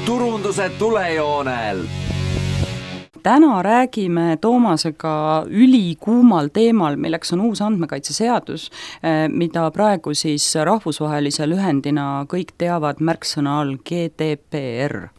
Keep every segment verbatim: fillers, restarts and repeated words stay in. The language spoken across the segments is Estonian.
turunduse tulejoonel. Täna räägime Toomasega ülikuumal teemal, milleks on uus andmekaitseseadus, mida praegu siis rahvusvahelise lühendina kõik teavad märksõna all G D P R.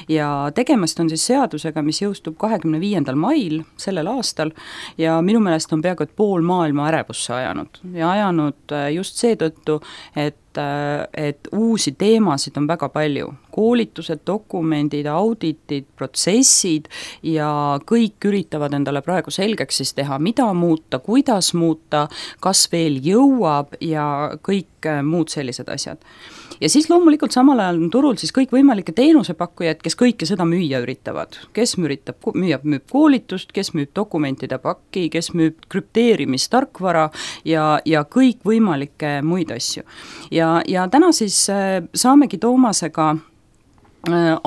Ja tegemist on siis seadusega, mis jõustub kahekümne viiendal mail sellel aastal ja minu meelest on peaaegu et pool maailma ärevusse ajanud ja ajanud just seetõttu, et et uusi teemasid on väga palju. Koolitused, dokumendid, auditid, protsessid ja kõik üritavad endale praegu selgeks siis teha, mida muuta, kuidas muuta, kas veel jõuab ja kõik muud sellised asjad. Ja siis loomulikult samal ajal on turul siis kõik võimalike teenusepakkujad, kes kõike seda müüa üritavad. Kes müüritab, müüab, müüb koolitust, kes müüb dokumentide pakki, kes müüb krüpteerimistarkvara ja, ja kõik võimalikke muid asju. Ja, ja täna siis saamegi Toomasega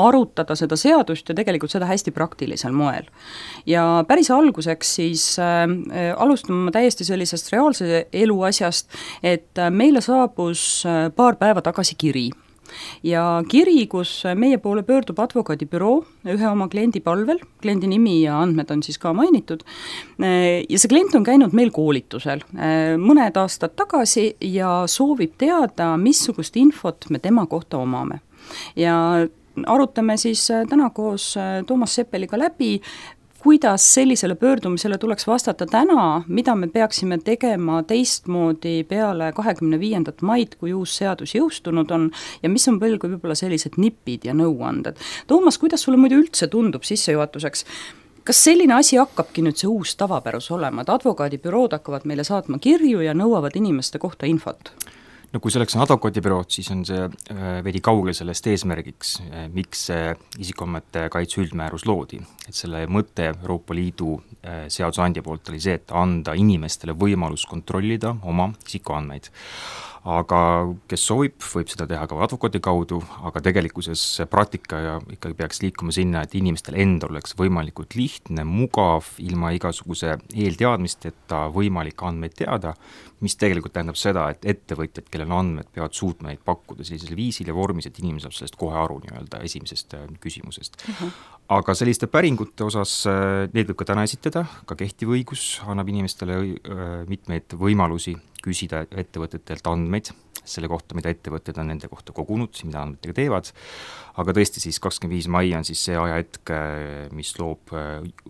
arutada seda seadust ja tegelikult seda hästi praktilisel moel. Ja päris alguseks siis äh, alustame täiesti sellisest reaalse elu asjast, et meile saabus paar päeva tagasi kiri. Ja kiri, kus meie poole pöördub advokaadibüroo ühe oma kliendi palvel, kliendi nimi ja andmed on siis ka mainitud, ja see klient on käinud meil koolitusel mõned aastad tagasi ja soovib teada, missugust infot me tema kohta omame. Ja arutame siis täna koos Toomas Seppeliga läbi, kuidas sellisele pöördumisele tuleks vastata täna, mida me peaksime tegema teistmoodi peale kahekümne viiendat maid, kui uus seadus jõustunud on ja mis on veel kui võib-olla sellised nipid ja nõuanded. Toomas, kuidas sulle muidu üldse tundub sissejuhatuseks? Kas selline asi hakkabki nüüd see uus tavapärus olema, et advokaadibürood hakkavad meile saatma kirju ja nõuavad inimeste kohta infot? No kui selleks on advokaadibürood, siis on see veidi kaugel sellest eesmärgiks, miks see isikuandmete kaitse üldmäärus loodi. Et selle mõte Euroopa Liidu seadusandja poolt oli see, et anda inimestele võimalus kontrollida oma isikuandmeid. Aga kes soovib, võib seda teha ka advokaadi kaudu, aga tegelikkuses praktika ja ikkagi peaks liikuma sinna, et inimestel endal oleks võimalikult lihtne, mugav, ilma igasuguse eelteadmisteta võimalik andmeid teada, mis tegelikult tähendab seda, et ettevõtjad, kellel andmed, peavad suutma neid pakkuda sellisel viisil ja vormis, et inimene saab sellest kohe aru nii-öelda esimesest küsimusest. Uh-huh. Aga selliste päringute osas need võib ka täna esitada, ka kehtiv õigus annab inimestele mitmeid võimalusi küsida ettevõtetelt andmeid selle kohta, mida ettevõtted on nende kohta kogunud, mida andmetega teevad, aga tõesti siis kakskümmend viis mai on siis see ajahetk, mis loob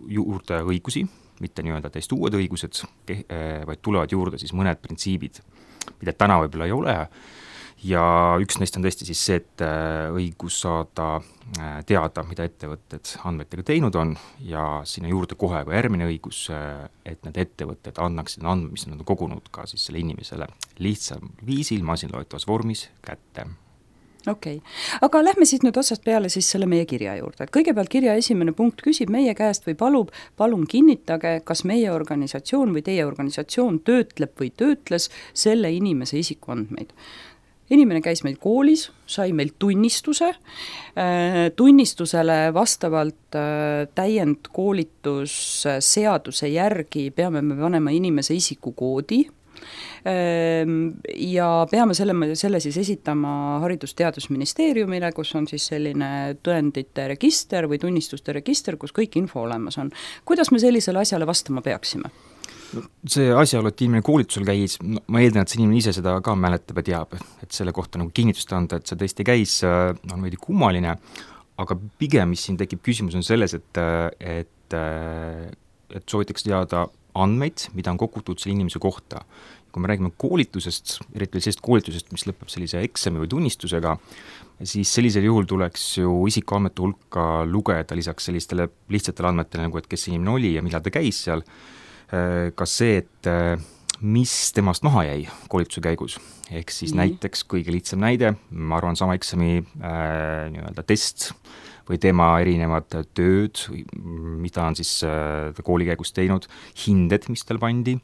juurde õigusi, mitte nii-öelda täiesti uued õigused, vaid tulevad juurde siis mõned printsiibid, mida täna võib-olla ei ole, ja üks neist on tõesti siis see, et õigus saada teada, mida ettevõtted andmetega teinud on ja sinna juurde kohe ka järgmine õigus, et need ettevõtted annaksid andmed, mis nad on kogunud ka siis selle inimesele lihtsam viisil, masinloetavas vormis kätte. Okei, okay. Aga lähme siis nüüd otsast peale siis selle meie kirja juurde. Kõigepealt kirja esimene punkt küsib meie käest või palub, palun kinnitage, kas meie organisatsioon või teie organisatsioon töötleb või töötles selle inimese isikuandmeid. Inimene käis meil koolis, sai meil tunnistuse, tunnistusele vastavalt täiendkoolitus seaduse järgi peame me panema inimese isikukoodi ja peame selle, selle siis esitama Haridus-Teadusministeeriumile, kus on siis selline tõendite register või tunnistuste register, kus kõik info olemas on. Kuidas me sellisele asjale vastama peaksime? See asjaolu, et inimene koolitusel käis, no, ma eeldan, et see inimene ise seda ka mäletab ja teab, et selle kohta nagu kinnitust anda, et see tõesti käis, on veidi kummaline, aga pigem, mis siin tekib küsimus, on selles, et, et, et soovitakse teada andmeid, mida on kogutud selle inimese kohta. Kui me räägime koolitusest, eriti sellisest koolitusest, mis lõpeb sellise eksami või tunnistusega, siis sellisel juhul tuleks ju isikuandmete hulka lugeda lisaks sellistele lihtsatele andmetele, nagu et kes inimene oli ja millal ta käis seal, ka see, et mis temast maha jäi koolituse käigus. Ehk siis mm. näiteks kõige lihtsam näide, ma arvan sama eksami äh, nii-öelda test või tema erinevad tööd, mida on siis äh, kooli käigus teinud, hinded, mis tal pandi,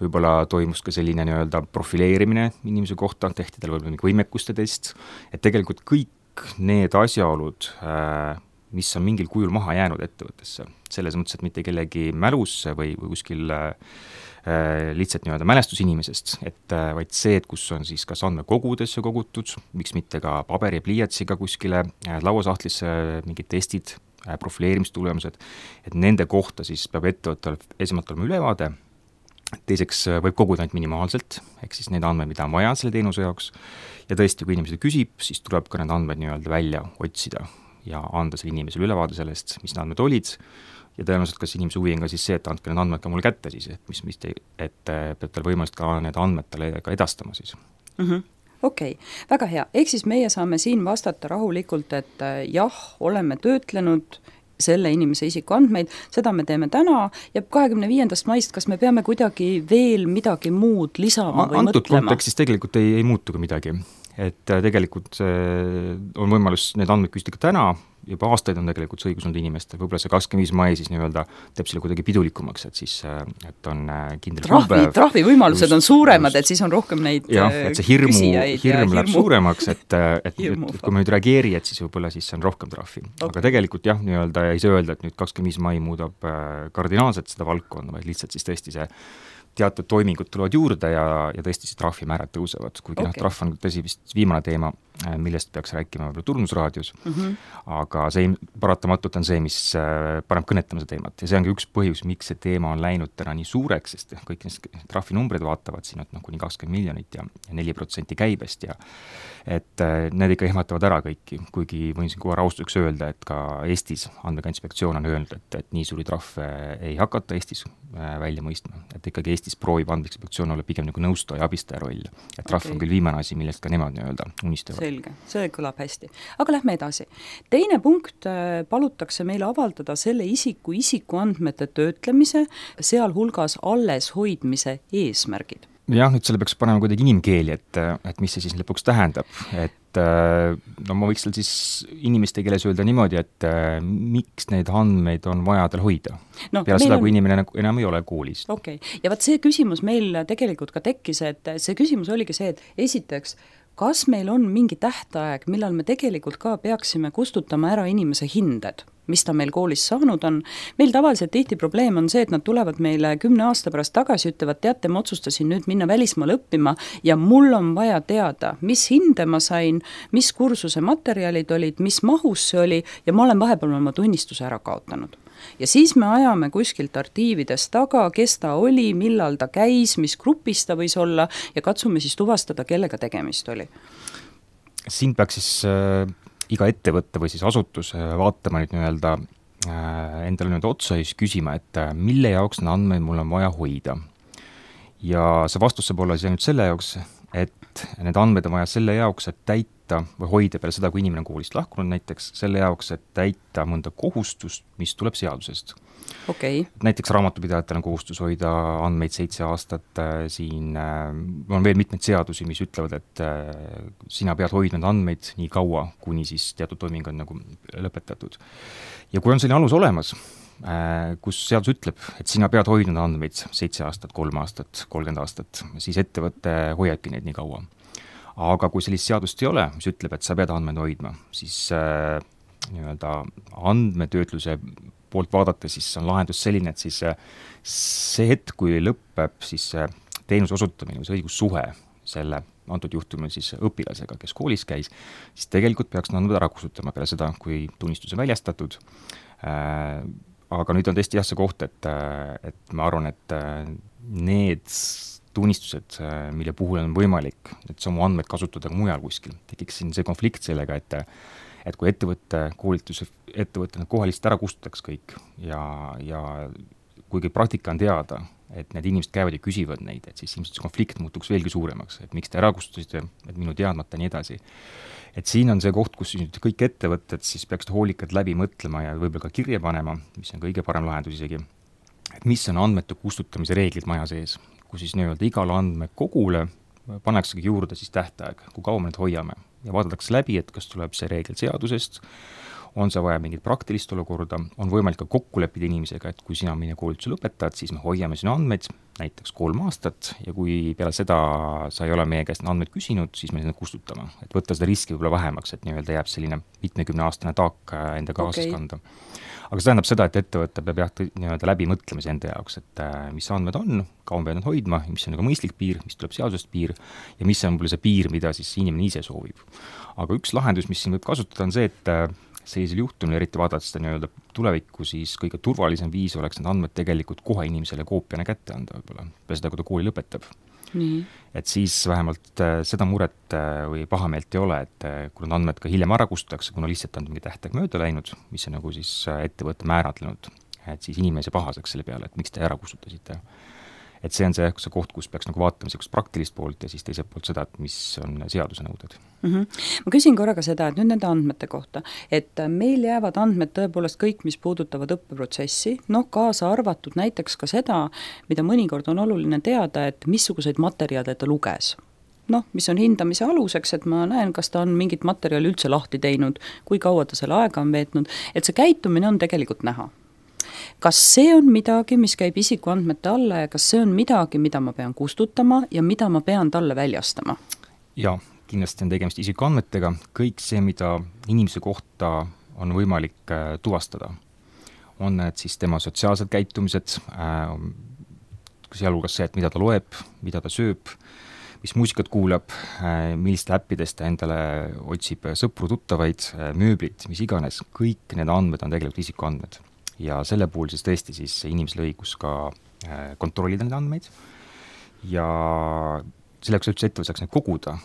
võib-olla toimus ka selline nii-öelda profileerimine inimese kohta, tehti tal võib-olla mingi võimekuste test, et tegelikult kõik need asjaolud äh, mis on mingil kujul maha jäänud ettevõttesse. Selles mõttes, et mitte kellegi mälusse või, või kuskil äh, lihtsalt nii-öelda mälestus inimesest, et äh, vaid see, et kus on siis kas andmekogudesse kogutud, miks mitte ka paberi ja pliiatsiga kuskile äh, lauasahtlisse äh, mingid testid, äh, profileerimistulemused, et nende kohta siis peab ettevõttel esimalt olema ülevaade, teiseks võib koguda ainult minimaalselt, ehk siis need andmed, mida on vaja selle teenuse jaoks, ja tõesti, kui inimesed küsib, siis tuleb ka need andmed nii-öelda välja otsida ja anda selle inimesele ülevaade sellest, mis need andmed olid, ja tõenäoliselt kas inimese huvi on ka siis see, et andke need andmed ka mulle kätte siis, et mis, mis te, et peab tal võimalust ka need andmed talle ka edastama siis mm. -hmm. Okei okay., väga hea, ehk siis meie saame siin vastata rahulikult, et jah, oleme töötlenud selle inimese isikuandmeid, seda me teeme täna ja kahekümne viiendast maist, kas me peame kuidagi veel midagi muud lisama või Antud mõtlema? kontekstis tegelikult ei, ei muutu ka midagi, et tegelikult on võimalus need andmed küsida ka täna, juba aastaid on tegelikult see õigus olnud inimestel, võib-olla see kakskümmend viis mai siis nii-öelda teeb selle kuidagi pidulikumaks, et siis et on kindel trahvi, trahvi võimalused just, on suuremad, et siis on rohkem neid jah, et see hirmu, hirm läheb hirmu. suuremaks, et, et, et, et kui me nüüd reageeri, et siis võib-olla siis on rohkem trahvi okay.. Aga tegelikult jah, nii-öelda ei saa öelda, et nüüd kakskümmend viis mai muudab kardinaalselt seda valdkonda, vaid lihtsalt siis tõesti see teatud toimingud tulevad juurde ja, ja tõesti see trahvimäärad tõusevad, kuigi okay. noh, trahv on tõsi vist viimane teema, millest peaks rääkima võib-olla Turnusraadios mm, -hmm. aga see paratamatult on see, mis paneb kõnetama seda teemat ja see on ka üks põhjus, miks see teema on läinud täna nii suureks, sest kõik need trahvinumbrid vaatavad siin, et noh, kuni kakskümmend miljonit ja neli protsenti käibest ja et need ikka ehmatavad ära kõiki, kuigi võin siin kohe rahustuseks öelda, et ka Eestis Andmekaitse on öelnud, et, et nii suuri trahve ei hakata Eestis välja mõistma, et ikkagi Eestis proovib Andmekaitse olla pigem nagu nõustaja ja abistaja roll, et trahv okay. on küll viimane asi, millest ka nemad nii-öelda unistavad. Selge, see kõlab hästi. Aga lähme edasi. Teine punkt, palutakse meile avaldada selle isiku isikuandmete töötlemise, sealhulgas alles hoidmise eesmärgid. Jah, nüüd selle peaks panema kuidagi inimkeeli, et, et mis see siis lõpuks tähendab, et no ma võiks seal siis inimeste keeles öelda niimoodi, et miks neid andmeid on vaja tal hoida no, peale seda, on... kui inimene enam ei ole koolis. Okei, okay. Ja vaat see küsimus meil tegelikult ka tekkis, et see küsimus oligi see, et esiteks, kas meil on mingi tähtaeg, millal me tegelikult ka peaksime kustutama ära inimese hinded, mis ta meil koolis saanud on. Meil tavaliselt tihti probleem on see, et nad tulevad meile kümne aasta pärast tagasi, ütlevad, teate, ma otsustasin nüüd minna välismaale õppima ja mul on vaja teada, mis hinde ma sain, mis kursuse materjalid olid, mis mahus see oli ja ma olen vahepeal oma tunnistuse ära kaotanud. Ja siis me ajame kuskilt artiivides taga, kes ta oli, millal ta käis, mis grupis ta võis olla ja katsume siis tuvastada, kellega tegemist oli. Siin peaks siis äh, iga ettevõtte või siis asutus vaatama nüüd nii-öelda äh, endale nüüd otsa ja siis küsima, et äh, mille jaoks need andmeid mul on vaja hoida. Ja see vastus saab olla siis ainult selle jaoks, et need andmed on vaja selle jaoks, et täita või hoida peale seda, kui inimene on koolist lahkunud näiteks, selle jaoks, et täita mõnda kohustust, mis tuleb seadusest. Okay. Näiteks raamatupidajatel on kohustus hoida andmeid seitse aastat, siin on veel mitmeid seadusi, mis ütlevad, et sina pead hoidma andmeid nii kaua, kuni siis teatud toiming on nagu lõpetatud. Ja kui on selline alus olemas, kus seadus ütleb, et sina pead hoidnud andmeid seitse aastat, kolm aastat, kolmkümmend aastat, siis ettevõte hoiabki neid nii kaua. Aga kui sellist seadust ei ole, mis ütleb, et sa pead andmeid hoidma, siis äh, nii-öelda andmetöötluse poolt vaadates siis on lahendus selline, et siis see hetk, kui lõpeb siis teenuse osutamine või see õigussuhe selle antud juhtumil siis õpilasega, kes koolis käis, siis tegelikult peaks andmed ära kustutama peale seda, kui tunnistus on väljastatud. Äh, aga nüüd on tõesti jah see koht, et, et ma arvan, et need tunnistused, mille puhul on võimalik, et samu andmeid kasutada ka mujal kuskil, tekiks siin see konflikt sellega, et et kui ettevõtte, koolituse ettevõtte need kohalist ära kustutaks kõik ja, ja kuigi praktika on teada, et need inimesed käivad ja küsivad neid, et siis ilmselt see konflikt muutuks veelgi suuremaks, et miks te ära kustutasite, et minu teadmata nii edasi. Et siin on see koht, kus kõik ettevõtted siis peaks hoolikalt läbi mõtlema ja võib-olla ka kirja panema, mis on kõige parem lahendus isegi, et mis on andmete kustutamise reeglid maja sees, kus siis nii-öelda igale andmekogule pannaksegi juurde siis tähtaeg, kui kaua me need hoiame ja vaadatakse läbi, et kas tuleb see reegel seadusest, on see vaja mingit praktilist olukorda, on võimalik ka kokku leppida inimesega, et kui sina meie koolituse lõpetad, siis me hoiame sinu andmeid näiteks kolm aastat ja kui peale seda sa ei ole meie käest andmeid küsinud, siis me neid kustutame. Et võtta seda riski võib-olla vähemaks, et nii-öelda jääb selline mitmekümne aastane taak enda kaasas okay. kanda. Aga see tähendab seda, et ettevõte peab jah nii-öelda läbi mõtlemise enda jaoks, et mis andmed on, kaua peab nad hoidma, mis on nagu mõistlik piir, mis tuleb seadusest piir ja mis on see piir, mida siis inimene ise soovib. Aga üks lahendus, mis siin võib kasutada, on see, et sellisel juhtumil, eriti vaadata seda nii-öelda tulevikku, siis kõige turvalisem viis oleks need andmed tegelikult kohe inimesele koopiana kätte anda võib-olla, peale seda, kui ta kooli lõpetab. Nii. Et siis vähemalt seda muret või pahameelt ei ole, et kui need andmed ka hiljem ära kustutakse, kuna lihtsalt on mingi tähtaeg mööda läinud, mis on nagu siis ettevõtte määratlenud, et siis inimese pahaseks selle peale, et miks te ära kustutasite. Et see on see, see koht, kus peaks nagu vaatama sellist praktilist poolt ja siis teiselt poolt seda, et mis on seaduse nõuded. Mm-hmm. Ma küsin korraga seda, et nüüd nende andmete kohta, et meil jäävad andmed tõepoolest kõik, mis puudutavad õppeprotsessi, noh kaasa arvatud näiteks ka seda, mida mõnikord on oluline teada, et missuguseid materjale ta luges. Noh, mis on hindamise aluseks, et ma näen, kas ta on mingit materjali üldse lahti teinud, kui kaua ta selle aega on veetnud, et see käitumine on tegelikult näha. Kas see on midagi, mis käib isikuandmete alla ja kas see on midagi, mida ma pean kustutama ja mida ma pean talle väljastama? Jaa, kindlasti on tegemist isikuandmetega. Kõik see, mida inimese kohta on võimalik tuvastada, on need siis tema sotsiaalsed käitumised, sealhulgas see, et mida ta loeb, mida ta sööb, mis muusikat kuulab, milliste äppidest ta endale otsib sõpru, tuttavaid, mööblit, mis iganes. Kõik need andmed on tegelikult isikuandmed. Ja selle puhul siis tõesti siis inimesel õigus ka kontrollida neid andmeid ja selleks üldse ettevõte saaks neid koguda,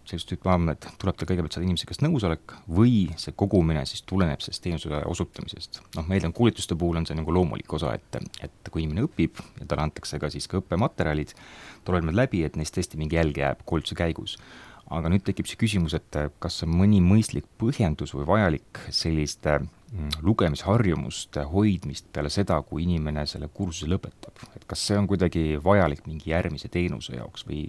sellist tüüpi andmed, tuleb tal kõigepealt saada inimese käest nõusolek või see kogumine siis tuleneb sellest teenuse osutamisest. Noh, meil on koolituste puhul on see nagu loomulik osa, et, et kui inimene õpib ja talle antakse ka siis ka õppematerjalid, tulevad meil läbi, et neist tõesti mingi jälg jääb koolituse käigus. Aga nüüd tekib see küsimus, et kas on mõni mõistlik põhjendus või vajalik selliste lugemisharjumuste hoidmist peale seda, kui inimene selle kursuse lõpetab. Et kas see on kuidagi vajalik mingi järgmise teenuse jaoks või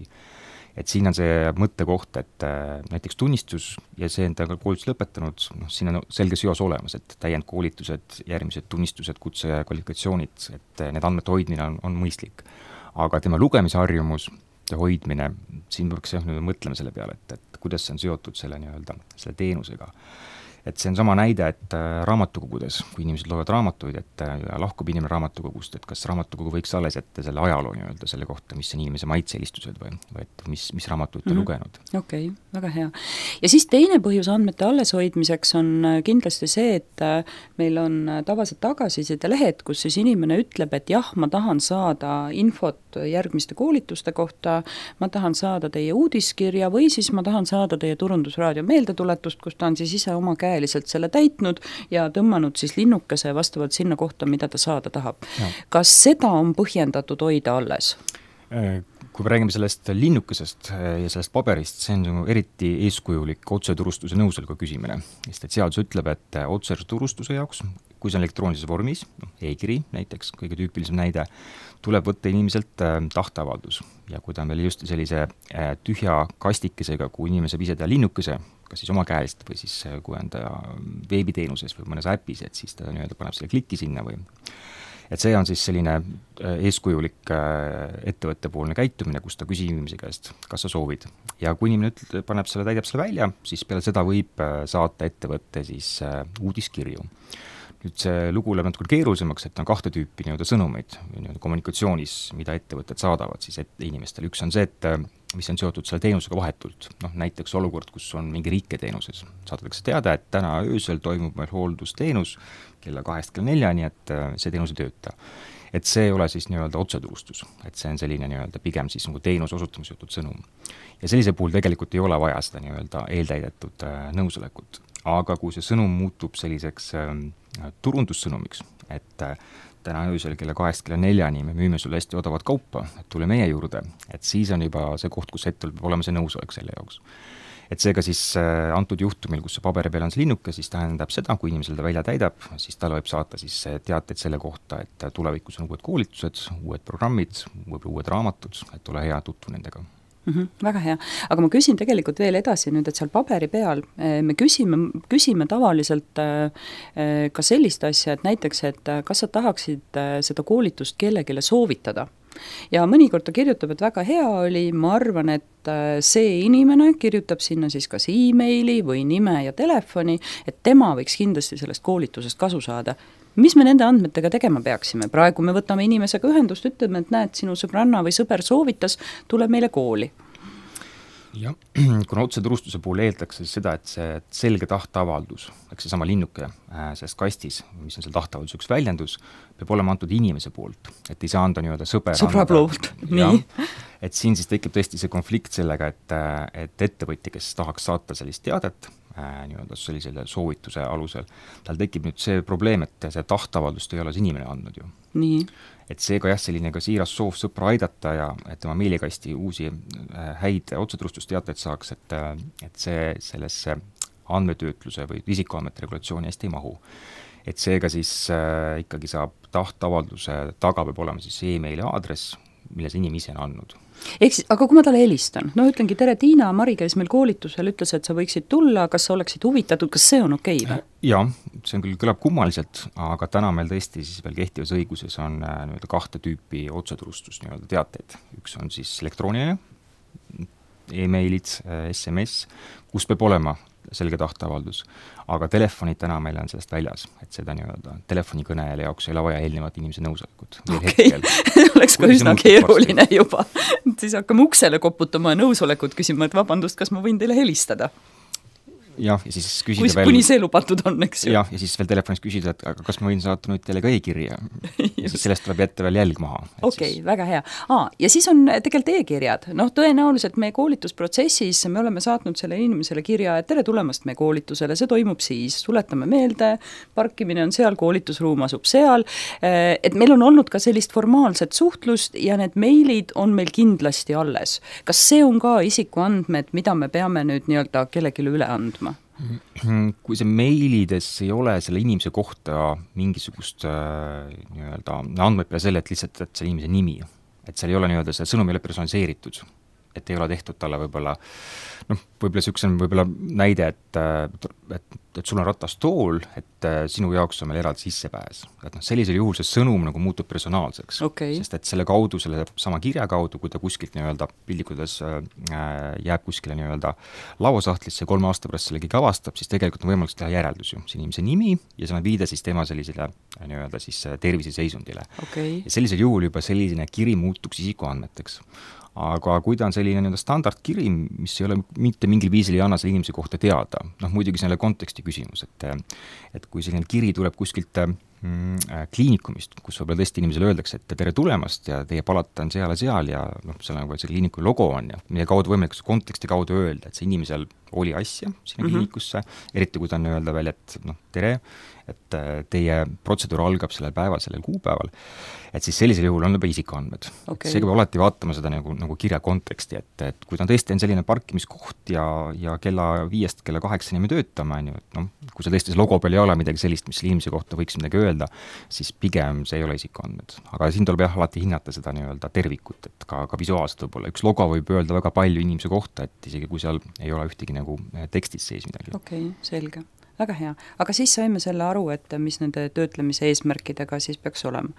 et siin on see mõttekoht, et näiteks tunnistus ja see enda koolitus lõpetanud, noh, siin on selge seos olemas, et täiendkoolitused, järgmised tunnistused, kutse ja kvalifikatsioonid, et need andmete hoidmine on, on mõistlik. Aga tema lugemisharjumus hoidmine, siin peaks jah mõtlema selle peale, et, et kuidas see on seotud selle, nii-öelda, selle teenusega. Et see on sama näide, et raamatukogudes, kui inimesed loevad raamatuid, et lahkub inimene raamatukogust, et kas raamatukogu võiks alles jätta selle ajaloo nii-öelda selle kohta, mis on inimese maitseelistused või, või et mis, mis raamatuid ta mm-hmm. lugenud. Okei, okay, väga hea. Ja siis teine põhjus andmete alleshoidmiseks on kindlasti see, et meil on tavaliselt tagasiside lehed, kus siis inimene ütleb, et jah, ma tahan saada infot järgmiste koolituste kohta, ma tahan saada teie uudiskirja või siis ma tahan saada teie turundusraadio meeldetuletust, kus ta on siis ise oma käe lihtsalt selle täitnud ja tõmmanud siis linnukese vastavalt sinna kohta, mida ta saada tahab. Ja. Kas seda on põhjendatud hoida alles? Kui me räägime sellest linnukesest ja sellest paberist, see on eriti eeskujulik otseturustuse nõusoleku küsimine. Sest et seadus ütleb, et otseturustuse jaoks, kui see on elektroonilises vormis, e-kiri näiteks, kõige tüüpilisem näide, tuleb võtta inimeselt tahteavaldus. Ja kui ta on veel just sellise tühja kastikesega, kui inimene saab ise teha linnukese, kas siis oma käest või siis kui on ta veebiteenuses või mõnes äpis, et siis ta nii-öelda paneb selle kliki sinna või et see on siis selline eeskujulik ettevõttepoolne käitumine, kus ta küsib inimese käest, kas sa soovid. Ja kui inimene ütleb, paneb selle, täidab selle välja, siis peale seda võib saata ettevõtte siis uudiskirju. Nüüd see lugu läheb natuke keerulisemaks, et on kahte tüüpi nii-öelda sõnumeid nii-öelda kommunikatsioonis, mida ettevõtted saadavad siis et inimestele. Üks on see, et mis on seotud selle teenusega vahetult. Noh, näiteks olukord, kus on mingi riiketeenuses. Saadatakse teada, et täna öösel toimub meil hooldusteenus kella kahest kella neljani, et see teenus ei tööta. Et see ei ole siis nii-öelda otseturustus, et see on selline nii-öelda pigem siis nagu teenuse osutamise seotud sõnum. Ja sellise puhul tegelikult ei ole vaja seda nii-öelda eeltäidetud nõusolekut. Aga kui see sõnum muutub selliseks turundussõnumiks, et täna öösel kella kahest kella neljani me müüme sulle hästi odavat kaupa, et tule meie juurde, et siis on juba see koht, kus hetkel peab olema see nõusolek selle jaoks. Et seega siis antud juhtumil, kus see paberi peal on see linnuke, siis tähendab seda, kui inimesel ta välja täidab, siis tal võib saata siis teateid selle kohta, et tulevikus on uued koolitused, uued programmid, uued raamatud, et ole hea tutvu nendega. Mm -hmm, väga hea, aga ma küsin tegelikult veel edasi nüüd, et seal paberi peal me küsime, küsime tavaliselt ka sellist asja, et näiteks, et kas sa tahaksid seda koolitust kellegile soovitada. Ja mõnikord ta kirjutab, et väga hea oli, ma arvan, et see inimene kirjutab sinna siis kas e-maili või nime ja telefoni, et tema võiks kindlasti sellest koolitusest kasu saada. Mis me nende andmetega tegema peaksime? Praegu me võtame inimesega ühendust, ütleme, et näed, sinu sõbranna või sõber soovitas, tuleb meile kooli. Jah, kuna otseturustuse puhul eeldakse seda, et see selge tahteavaldus, eks see sama linnuke selles kastis, mis on seal tahteavaldus üks väljendus, peab olema antud inimese poolt, et ei saa anda nii-öelda sõber sõbra poolt, nii. Et siin siis tekib tõesti see konflikt sellega, et, et ettevõtja, kes tahaks saata sellist teadet, nii-öelda sellisele soovituse alusel, tal tekib nüüd see probleem, et see tahteavaldust ei ole see inimene andnud ju. Nii. Et seega jah, selline ka siiras soov sõpra aidata ja et tema meilikasti uusi häid otseturustusteateid saaks, et, et see sellesse andmetöötluse või isikuandmete regulatsiooni hästi ei mahu. Et seega siis äh, ikkagi saab tahteavalduse taga peab olema siis e-maili aadress, mille see inimene ise on andnud. Ehk siis, aga kui ma talle helistan, no ütlengi, tere Tiina, Mari käis meil koolitusel, ütles, et sa võiksid tulla, kas sa oleksid huvitatud, kas see on okei okay, või? Jah, see on küll kõlab kummaliselt, aga täna meil tõesti siis veel kehtivas õiguses on nii-öelda kahte tüüpi otseturustus nii-öelda teateid. Üks on siis elektrooniline, e-mailid, S M S, kus peab olema selge tahteavaldus, aga telefonid täna meil on sellest väljas, et seda nii-öelda telefonikõnele jaoks ei ole vaja eelnevat inimese nõusolekut. Okei, okay. Oleks ka üsna keeruline juba. Siis hakkame uksele koputama ja nõusolekut küsima, et vabandust, kas ma võin teile helistada? Jah, ja siis küsida kui, veel... Kuni see lubatud on, eks ju? Jah, ja siis veel telefonis küsida, et aga kas ma võin saata nüüd teile ka e-kirja? Ja siis sellest tuleb jätta veel jälg maha. Okei, okay, siis... väga hea. Aa, ja siis on tegelikult e-kirjad. Noh, tõenäoliselt meie koolitusprotsessis me oleme saatnud selle inimesele kirja, et tere tulemast meie koolitusele, see toimub siis, tuletame meelde, parkimine on seal, koolitusruum asub seal, et meil on olnud ka sellist formaalset suhtlust ja need meilid on meil kindlasti alles. Kas see on ka isikuandmed, mida me peame nüüd nii-öelda kellegile üle andma? Kui see meilides ei ole selle inimese kohta mingisugust äh, nii-öelda andmeid peale selle, et lihtsalt et see inimese nimi, et seal ei ole nii-öelda see sõnum ei ole personaliseeritud, et ei ole tehtud talle võib-olla noh, võib-olla niisuguse on võib-olla näide, et, et, et sul on ratastool, et sinu jaoks on meil eraldi sissepääs. Et noh, sellisel juhul see sõnum nagu muutub personaalseks, okay. Sest et selle kaudu, selle sama kirja kaudu, kui ta kuskilt nii-öelda pildikudes äh, jääb kuskile nii-öelda lauasahtlisse ja kolme aasta pärast selle keegi avastab, siis tegelikult on võimalik teha järeldus ju. See inimese nimi ja see on viide siis tema sellisele nii-öelda siis terviseseisundile. Okay. Ja sellisel juhul juba selline kiri muutuks isikuandmeteks. Aga kui ta on selline nii-öelda standardkiri, mis ei ole mitte mingil viisil ei anna selle inimese kohta teada, noh muidugi selle konteksti küsimus, et et kui selline kiri tuleb kuskilt mm, kliinikumist, kus võib-olla tõesti inimesele öeldakse, et tere tulemast ja teie palata on seal ja seal ja noh, seal nagu see kliiniku logo on ja mille kaudu võimalik konteksti kaudu öelda, et see inimesel oli asja sinna mm-hmm. kliinikusse, eriti kui ta on öelda veel, et noh, tere, et teie protseduur algab sellel päeval, sellel kuupäeval, et siis sellisel juhul on juba isikuandmed. Okay. Seega peab alati vaatama seda nagu, nagu kirja konteksti, et, et kui ta on tõesti on selline parkimiskoht ja, ja kella viiest kella kaheksani me töötame, on ju, et noh, kui see tõesti see logo peal ei ole midagi sellist, mis inimese kohta võiks midagi öelda, siis pigem see ei ole isikuandmed. Aga siin tuleb jah alati hinnata seda nii-öelda tervikut, et ka, ka visuaalselt võib-olla. Üks logo võib öelda väga palju inimese kohta, et isegi kui seal ei ole ühtegi nagu tekstis sees midagi. Okei, okay, selge. Väga hea. Aga siis saime selle aru, et mis nende töötlemise eesmärkidega siis peaks olema.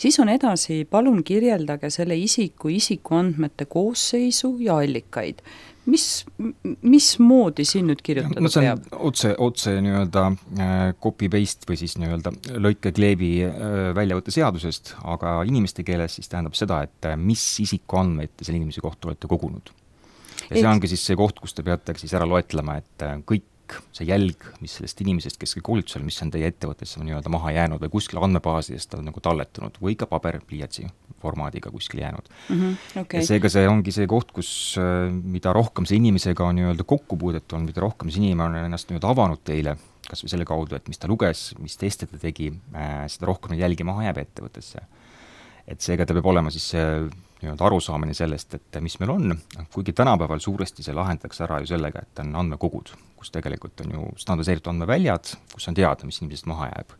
Siis on edasi, palun kirjeldage selle isiku isikuandmete koosseisu ja allikaid. Mis, mis moodi siin nüüd kirjutada no, peab? Otse, otse nii-öelda copy-paste või siis nii-öelda lõike-kleebi väljavõtte seadusest, aga inimeste keeles siis tähendab seda, et mis isikuandmeid te selle inimese kohta olete kogunud. Ja see ongi siis see koht, kus te peate siis ära loetlema, et kõik see jälg, mis sellest inimesest, kes koolitusel, mis on teie ettevõttesse nii-öelda maha jäänud või kuskil andmebaasidest on nagu talletunud või ka paberpliiatsi formaadiga kuskil jäänud. Mm-hmm, okay. Ja seega see ongi see koht, kus mida rohkem see inimesega on nii-öelda kokkupuudet on, mida rohkem see inimene on ennast nii-öelda avanud teile, kas või selle kaudu, et mis ta luges, mis teste ta tegi, seda rohkem jälgi maha jääb ettevõttesse. Et seega ta peab olema siis see nii-öelda arusaamine sellest, et mis meil on, kuigi tänapäeval suuresti see lahendatakse ära ju sellega, et on andmekogud, kus tegelikult on ju standardiseeritud andmeväljad, kus on teada, mis inimesest maha jääb.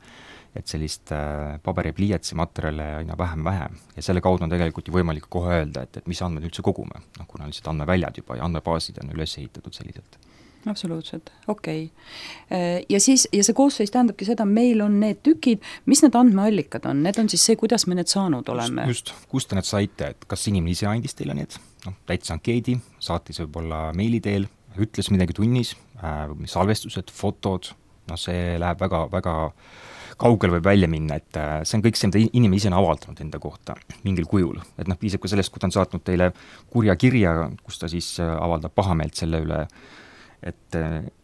et sellist äh, paberi pliiatsi materjale aina vähem-vähem ja selle kaudu on tegelikult ju võimalik kohe öelda, et, et mis andmed üldse kogume, noh kuna lihtsalt andmeväljad juba ja andmebaasid on üles ehitatud selliselt. Absoluutselt, okei okay.. Ja siis, ja see koosseis tähendabki seda, meil on need tükid, mis need andmeallikad on, need on siis see, kuidas me need saanud oleme? Just, just, kust te need saite, et kas inimene ise andis teile need, noh, täitsa ankeedi, saatis võib-olla meili teel, ütles midagi tunnis, äh, salvestused, fotod, noh see läheb väga, väga kaugel võib välja minna, et see on kõik see, mida inimene ise on avaldanud enda kohta mingil kujul. Et noh, piisab ka sellest, kui ta on saatnud teile kurja kirja, kus ta siis avaldab pahameelt selle üle, et,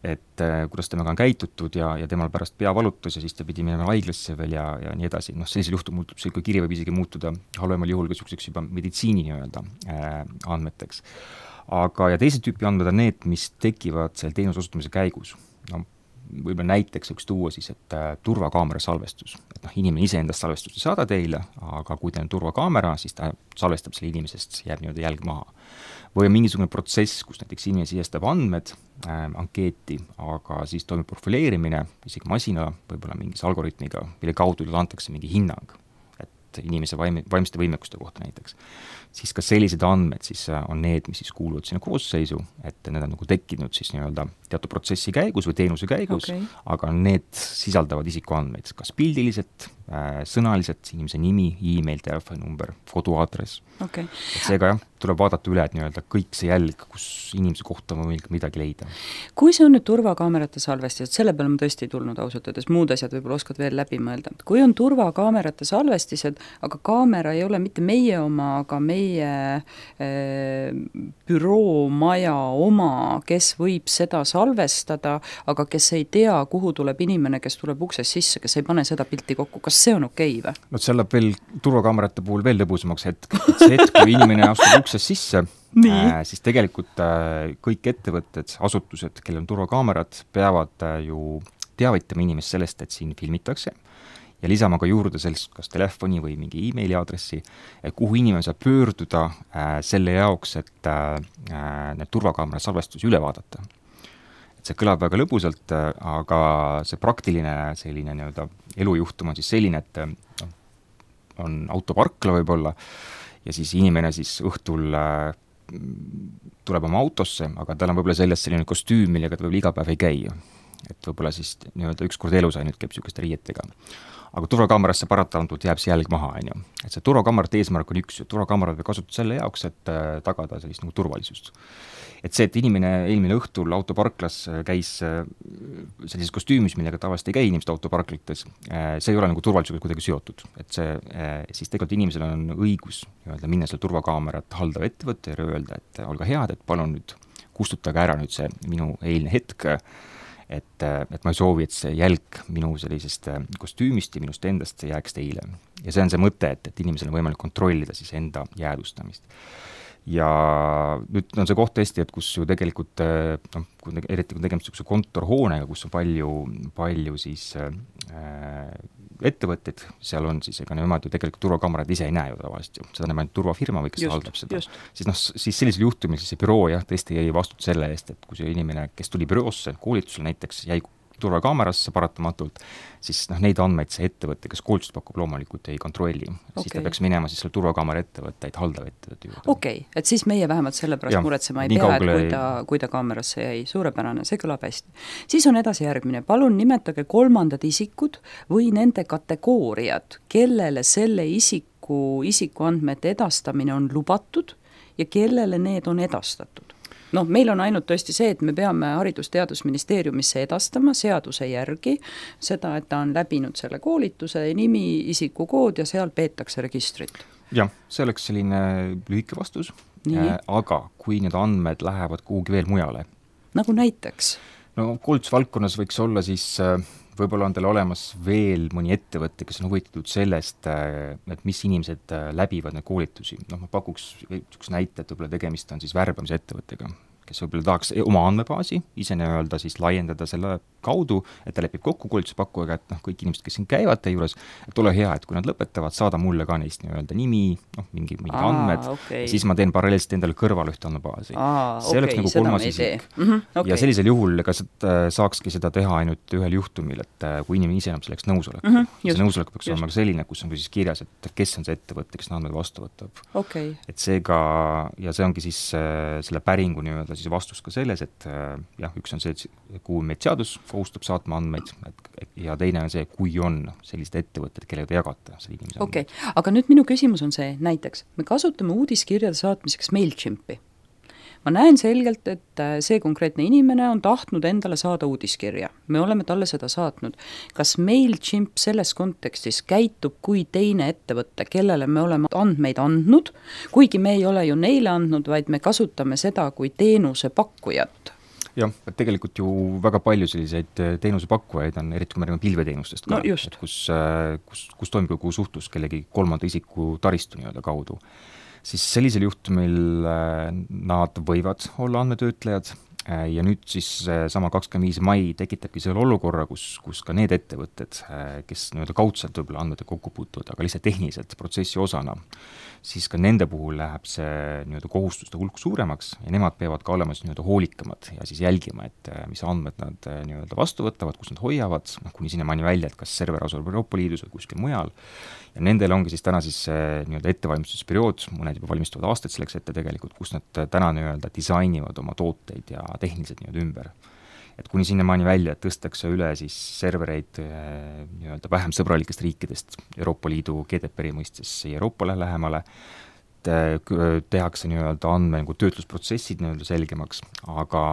et kuidas temaga on käitutud ja, ja temal pärast pea valutus ja siis ta pidi minema haiglasse veel ja, ja nii edasi. Noh, sellisel juhtum muutub see, kui kiri võib isegi muutuda halvemal juhul ka selliseks juba meditsiini nii-öelda äh, andmeteks. Aga ja teise tüüpi andmed on need, mis tekivad selle teenuse osutamise käigus. No, võib-olla näiteks võiks tuua siis, et äh, turvakaamera salvestus, et noh, inimene ise endast salvestust ei saada teile, aga kui teil on turvakaamera, siis ta salvestab selle inimesest, jääb nii-öelda jälg maha. Või on mingisugune protsess, kus näiteks inimene sisestab andmed, äh, ankeeti, aga siis toimub profileerimine, isegi masina, võib-olla mingis algoritmiga, mille kaudu antakse mingi hinnang, et inimese vaim, vaimste võimekuste kohta näiteks. Siis ka sellised andmed siis on need, mis siis kuuluvad sinna koosseisu, et need on nagu tekkinud siis nii-öelda teatud protsessi käigus või teenuse käigus, okay. Aga need sisaldavad isikuandmeid, kas pildiliselt, äh, sõnaliselt, inimese nimi, email, telefoninumber, koduaadress. Okay. Et seega jah, tuleb vaadata üle, et nii-öelda kõik see jälg, kus inimese kohta on võimalik midagi leida. Kui see on nüüd turvakaamerate salvestised, selle peale ma tõesti ei tulnud ausalt öeldes, muud asjad võib-olla oskad veel läbi mõelda. Kui on turvakaamerate salvestised, aga kaamera ei ole mitte meie oma, aga meie äh, büroo maja oma, kes võib seda salvestada, aga kes ei tea, kuhu tuleb inimene, kes tuleb uksest sisse, kes ei pane seda pilti kokku, kas see on okei või? No see läheb veel turvakaamerate puhul veel lõbusamaks hetk, et see hetk, kui inimene astub uksest sisse, äh, siis tegelikult äh, kõik ettevõtted, asutused, kellel on turvakaamerad, peavad äh, ju teavitama inimest sellest, et siin filmitakse ja lisama ka juurde sellest kas telefoni või mingi emaili aadressi, kuhu inimene saab pöörduda äh, selle jaoks, et äh, need turvakaamera salvestusi üle vaadata. Et see kõlab väga lõbusalt, äh, aga see praktiline selline nii-öelda elujuhtum on siis selline, et äh, on autoparkla võib-olla ja siis inimene siis õhtul äh, tuleb oma autosse, aga tal on võib-olla seljas selline kostüüm, millega ta võib-olla iga päev ei käi. Et võib-olla siis nii-öelda üks kord elus ainult käib niisugust riietega. Aga turvakaamerasse paratamatult jääb see jälg maha, on ju. Et see turvakaamerate eesmärk on üks, turvakaamerad võib kasutada selle jaoks, et äh, tagada sellist nagu turvalisust. Et see, et inimene eelmine õhtul autoparklas käis äh, sellises kostüümis, millega tavaliselt ei käi inimesed autoparklites, äh, see ei ole nagu turvalisusega kuidagi seotud. Et see, äh, siis tegelikult inimesel on õigus öelda, minna selle turvakaamerat haldav ettevõtte ja öelda, et olge head, et palun nüüd kustutage ära nüüd see minu eilne hetk, et, et ma ei soovi, et see jälg minu sellisest kostüümist ja minust endast jääks teile. Ja see on see mõte, et, et inimesel on võimalik kontrollida siis enda jäädustamist. Ja nüüd on see koht tõesti, et kus ju tegelikult, noh, eriti kui tegemist niisuguse kontorhoonega, kus on palju, palju siis äh, ettevõtted, seal on siis, ega nemad ju tegelikult turvakaamerad ise ei näe ju tavaliselt ju, seda näeb ainult turvafirma või kes just, haldab seda. Siis noh, siis sellisel juhtumil siis see büroo jah, tõesti jäi vastutus selle eest, et kui see inimene, kes tuli büroosse koolitusel näiteks, jäi turvakaamerasse paratamatult, siis noh, neid andmeid see ettevõte, kes koolitust pakub, loomulikult ei kontrolli. Okay. Siis ta peaks minema siis selle turvakaamera ettevõtteid haldav ettevõtte juurde. Okei, okay. Et siis meie vähemalt selle pärast muretsema ei pea, et kui ta, kui ta kaamerasse jäi, suurepärane, see kõlab hästi. Siis on edasi järgmine, palun nimetage kolmandad isikud või nende kategooriad, kellele selle isiku, isikuandmete edastamine on lubatud ja kellele need on edastatud. Noh, meil on ainult tõesti see, et me peame Haridus-Teadusministeeriumisse edastama seaduse järgi seda, et ta on läbinud selle koolituse, nimi, isikukood ja seal peetakse registrit. Jah, see oleks selline lühike vastus, äh, aga kui need andmed lähevad kuhugi veel mujale. Nagu näiteks? No koolitusvaldkonnas võiks olla siis, võib-olla on teil olemas veel mõni ettevõte, kes on huvitatud sellest, et mis inimesed läbivad need koolitusi. Noh, ma pakuks üks näite, et võib-olla tegemist on siis värbamise ettevõttega, kes võib-olla tahaks oma andmebaasi ise nii-öelda siis laiendada selle kaudu, et ta lepib kokku koolituspakkujaga, et noh, kõik inimesed, kes siin käivad teie juures, et ole hea, et kui nad lõpetavad, saada mulle ka neist nii-öelda nimi, noh, mingi, mingi Aa, andmed, okay. ja siis ma teen paralleelselt endale kõrval ühte andmebaasi. Aa, see oleks okay, nagu kolmas isik. Mm -hmm, okay. Ja sellisel juhul ega saakski seda teha ainult ühel juhtumil, et kui inimene ise enam selleks nõusolek. Mm -hmm, see nõusolek peaks olema selline, kus on siis kirjas, et kes on see ettevõte, kes andmed vastu võtab. Okay. Et seega, ja see ongi siis äh, selle päringu nii-öelda siis vastus ka selles, et äh, jah, üks on see, et kuhu meid seadus kohustab saatma andmeid, et, ja teine on see, kui on sellised ettevõtted, kellega te jagate selle inimese okay. andmeid. Aga nüüd minu küsimus on see, näiteks me kasutame uudiskirjade saatmiseks MailChimpi. Ma näen selgelt, et see konkreetne inimene on tahtnud endale saada uudiskirja. Me oleme talle seda saatnud. Kas MailChimp selles kontekstis käitub kui teine ettevõte, kellele me oleme andmeid andnud, kuigi me ei ole ju neile andnud, vaid me kasutame seda kui teenuse pakkujat? Jah, et tegelikult ju väga palju selliseid teenusepakkujaid on, eriti kui me räägime pilveteenustest ka, no et kus, kus, kus toimub kogu suhtlus kellegi kolmanda isiku taristu nii-öelda kaudu. Siis sellisel juhtumil nad võivad olla andmetöötlejad ja nüüd siis sama kakskümmend viis mai tekitabki selle olukorra, kus, kus ka need ettevõtted, kes nii-öelda kaudselt võib-olla andmete kokku puutuvad, aga lihtsalt tehniliselt protsessi osana, siis ka nende puhul läheb see nii-öelda kohustuste hulk suuremaks ja nemad peavad ka olema siis nii-öelda hoolikamad ja siis jälgima, et mis andmed nad nii-öelda vastu võtavad, kus nad hoiavad, noh, kuni sinnamaani välja, et kas server asub Euroopa Liidus või kuskil mujal. Ja nendel ongi siis täna siis nii-öelda ettevalmistusperiood, mõned juba valmistuvad aastaid selleks ette tegelikult, kus nad täna nii-öelda disainivad oma tooteid ja tehniliselt nii-öelda ümber. Et kuni sinnamaani välja, et tõstakse üle siis servereid nii-öelda vähem sõbralikest riikidest Euroopa Liidu G D P R-i mõistes Euroopale lähemale, tehakse nii-öelda andme nagu töötlusprotsessid nii-öelda selgemaks, aga,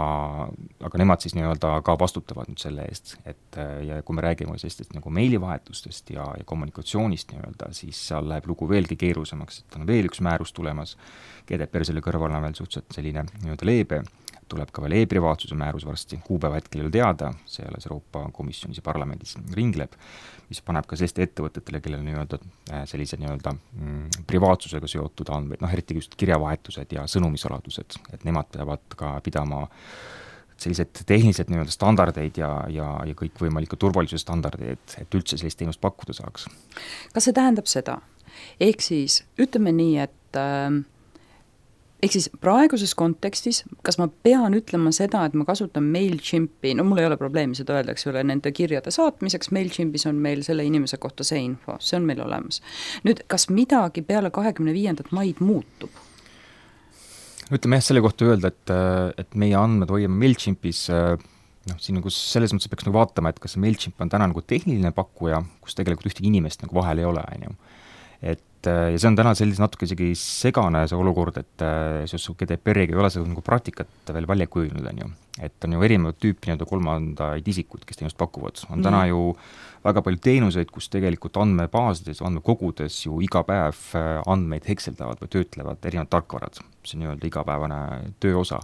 aga nemad siis nii-öelda ka vastutavad nüüd selle eest, et ja kui me räägime sellistest nagu meilivahetustest ja, ja kommunikatsioonist nii-öelda, siis seal läheb lugu veelgi keerusemaks, et on veel üks määrus tulemas, G D P R selle kõrval on veel suhteliselt selline nii-öelda leebe, tuleb ka veel e-privaatsuse määrus varsti, kuupäeva hetkel ei ole teada, see alles Euroopa Komisjonis ja parlamendis ringleb, mis paneb ka selliste ettevõtetele, kellel nii-öelda sellise nii-öelda mm, privaatsusega seotud andmeid, noh eriti just kirjavahetused ja sõnumisaladused, et nemad peavad ka pidama sellised tehnilised nii-öelda standardeid ja, ja, ja kõikvõimalikke turvalisuse standardeid, et, et üldse sellist teenust pakkuda saaks. Kas see tähendab seda? Ehk siis ütleme nii, et äh, ehk siis praeguses kontekstis, kas ma pean ütlema seda, et ma kasutan MailChimpi, no mul ei ole probleemi seda öeldakse üle nende kirjade saatmiseks, MailChimpis on meil selle inimese kohta see info, see on meil olemas. Nüüd, kas midagi peale kahekümne viiendat maid muutub? Ütleme jah, selle kohta öelda, et, et meie andmed hoiame MailChimpis, noh, siin nagu selles mõttes peaks nagu vaatama, et kas MailChimp on täna nagu tehniline pakkuja, kus tegelikult ühtegi inimest nagu vahel ei ole, on ju. Et ja see on täna sellise natuke isegi segane see olukord, et seoses G D P R-iga ei ole seda nagu praktikat veel välja kujunud, on ju. Et on ju erinevad tüüpi nii-öelda kolmandaid isikud, kes teenust pakuvad. On täna mm. ju väga palju teenuseid, kus tegelikult andmebaasides, andmekogudes ju iga päev andmeid hekseldavad või töötlevad erinevad tarkvarad. See on nii-öelda igapäevane töö osa.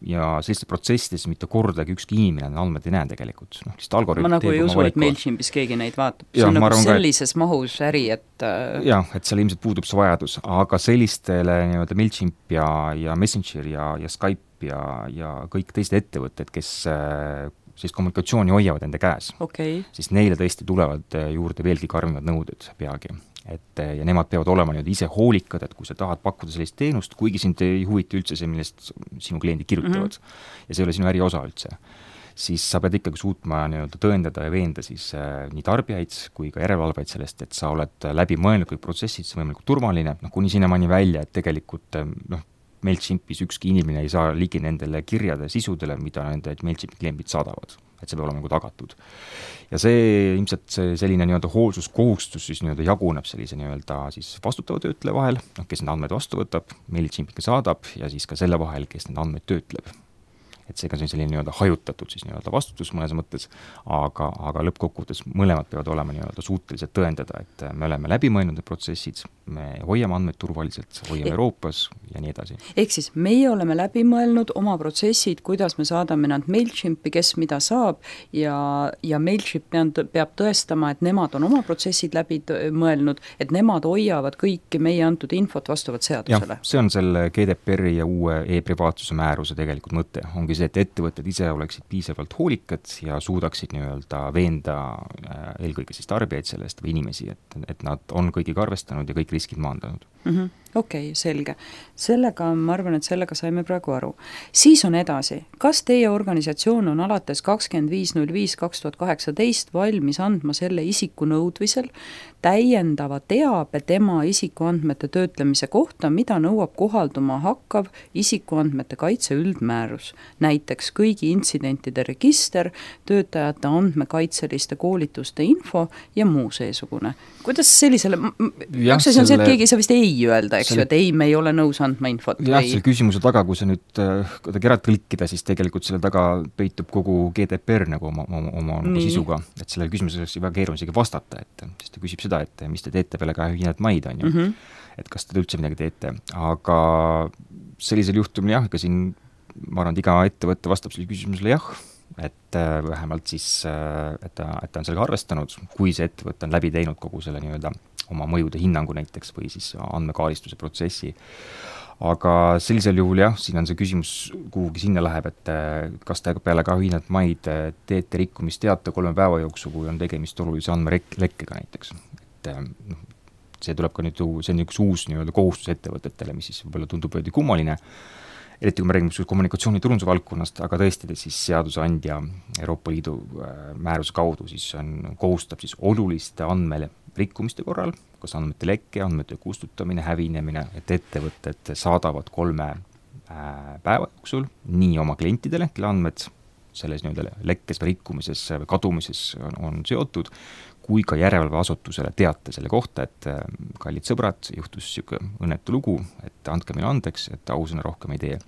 Ja sellistes protsessides mitte kordagi ükski inimene andmed ei näe tegelikult. No, ma nagu ei usu, et MailChimpis keegi neid vaatab. See ja, on nagu sellises ka, mahus äri, et jah, et seal ilmselt puudub see vajadus, aga sellistele nii-öelda MailChimp ja, ja Messenger ja, ja Skype ja, ja kõik teised ettevõtted, kes siis kommunikatsiooni hoiavad enda käes, okay. siis neile tõesti tulevad juurde veelgi karmimad nõuded peagi. Et, ja nemad peavad olema nüüd ise hoolikad, et kui sa tahad pakkuda sellist teenust, kuigi sind ei huvita üldse see, millest sinu kliendid kirjutavad, mm-hmm. ja see ei ole sinu äri osa üldse, siis sa pead ikkagi suutma nii-öelda tõendada ja veenda siis äh, nii tarbijaid kui ka järelevalvaid sellest, et sa oled läbi mõelnud kõik protsessid, see võimalikult turvaline, noh kuni sinnamaani välja, et tegelikult noh, MailChimpis ükski inimene ei saa ligi nendele kirjade sisudele, mida nende MailChimpi kliendid saadavad, et see peab olema nagu tagatud. Ja see ilmselt see selline nii-öelda hoolsuskohustus siis nii-öelda jaguneb sellise nii-öelda siis vastutava töötleja vahel, noh, kes need andmeid vastu võtab, MailChimpiga saadab ja siis ka selle vahel, kes need andmeid töötleb. et seega see on selline nii-öelda hajutatud siis nii-öelda vastutus mõnes mõttes, aga, aga lõppkokkuvõttes mõlemad peavad olema nii-öelda suutelised tõendada, et me oleme läbi mõelnud need protsessid, me hoiame andmeid turvaliselt, hoiame e Euroopas ja nii edasi. Ehk siis meie oleme läbi mõelnud oma protsessid, kuidas me saadame nad MailChimpi, kes mida saab ja, ja MailChimp peab, peab tõestama, et nemad on oma protsessid läbi mõelnud, et nemad hoiavad kõiki meie antud infot vastavalt seadusele. Jah, see on selle G D P R-i ja uue e-privaatsuse määruse tegelikult mõte. Ongi see, et ettevõtted ise oleksid piisavalt hoolikad ja suudaksid nii-öelda veenda eelkõige siis tarbijaid sellest või inimesi, et, et nad on kõigiga arvestanud ja kõik riskid maandanud. Mm -hmm. Okei, okay, selge. Sellega, ma arvan, et sellega saime praegu aru. Siis on edasi. Kas teie organisatsioon on alates kakskümmend viis null viis kaks tuhat kaheksateist valmis andma selle isiku nõudvisel täiendava teabe tema isikuandmete töötlemise kohta, mida nõuab kohalduma hakkav isikuandmete kaitse üldmäärus, näiteks kõigi intsidentide register, töötajate andmekaitseliste koolituste info ja muu seesugune? Kuidas sellisele, ja, üks asi on see, et keegi ei saa vist ei öelda, eks ju, et ei, me ei ole nõus andma infot. Jah, selle küsimuse taga, kui sa nüüd kuidagi ära tõlkida, siis tegelikult selle taga peitub kogu G D P R nagu oma, oma, oma nagu sisuga, et sellele küsimusele oleks väga keeruline isegi vastata, et siis ta küsib seda, et mis te teete peale kahekümnendat maid, on ju, mm -hmm. et kas te üldse midagi teete, aga sellisel juhtumil jah, ega siin ma arvan, et iga ettevõtte vastab selle küsimusele jah, et äh, vähemalt siis, äh, et ta, et ta on sellega arvestanud, kui see ettevõte on läbi teinud kogu selle nii-öelda oma mõjude hinnangu näiteks või siis andmekaaristuse protsessi. Aga sellisel juhul jah, siin on see küsimus kuhugi sinna läheb, et kas te peale kahekümnendat maid teete rikkumisteate kolme päeva jooksul, kui on tegemist olulise andmelekkega näiteks. Et noh, see tuleb ka nüüd, see on üks uus nii-öelda kohustus ettevõtetele, mis siis võib-olla tundub veidi kummaline, eriti kui me räägime kommunikatsiooni turunduse valdkonnast, aga tõesti siis seadusandja Euroopa Liidu määruse kaudu siis on, kohustab siis oluliste andmele rikkumiste korral, kas andmete lekke, andmete kustutamine, hävinemine, et ettevõtted saadavad kolme päeva jooksul nii oma klientidele, kelle andmed selles nii-öelda lekkes või rikkumises või kadumises on, on seotud, kui ka järelevalveasutusele teate selle kohta, et kallid sõbrad, juhtus niisugune õnnetu lugu, et andke meile andeks, et ausõna rohkem ei tee.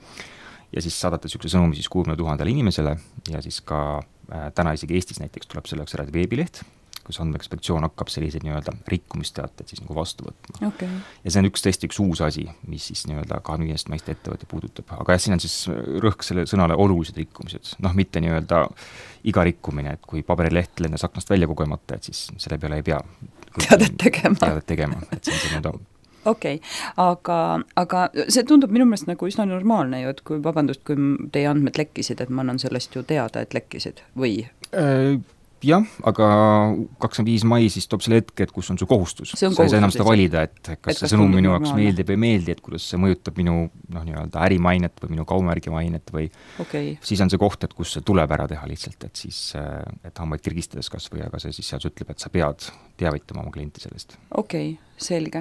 Ja siis saadate niisuguse sõnumi siis kuuekümne tuhandele inimesele ja siis ka äh, täna isegi Eestis näiteks tuleb selleks eraldi veebileht, kus andmeinspektsioon hakkab selliseid nii-öelda rikkumisteateid siis nagu vastu võtma. Okay. Ja see on üks tõesti üks uus asi, mis siis nii-öelda kahekümne viiest maist ettevõtte puudutab. Aga jah, siin on siis rõhk selle sõnale olulised rikkumised. Noh, mitte nii-öelda iga rikkumine, et kui paberileht lendas aknast välja kogemata, et siis selle peale ei pea teadet tegema. Teadet tegema, et see on see nii-öelda okei okay., aga, aga see tundub minu meelest nagu üsna normaalne ju, et kui, vabandust, kui teie andmed lekkisid, et ma annan sellest ju teada, et lekkisid või? Äh, jah, aga kakskümmend viis mai siis toob selle hetke, et kus on su kohustus. See on sa ei saa enam seda kohustus, valida, et kas et see kas sõnum tundub minu jaoks normaalne. meeldib või meeldi, et kuidas see mõjutab minu noh, nii-öelda ärimainet või minu kaumärgi mainet või okay. siis on see koht, et kus see tuleb ära teha lihtsalt, et siis, et hambaid kirgistades kas või, aga see siis seadus ütleb, et sa pead teavitama oma klienti sellest. Okei, okay, selge.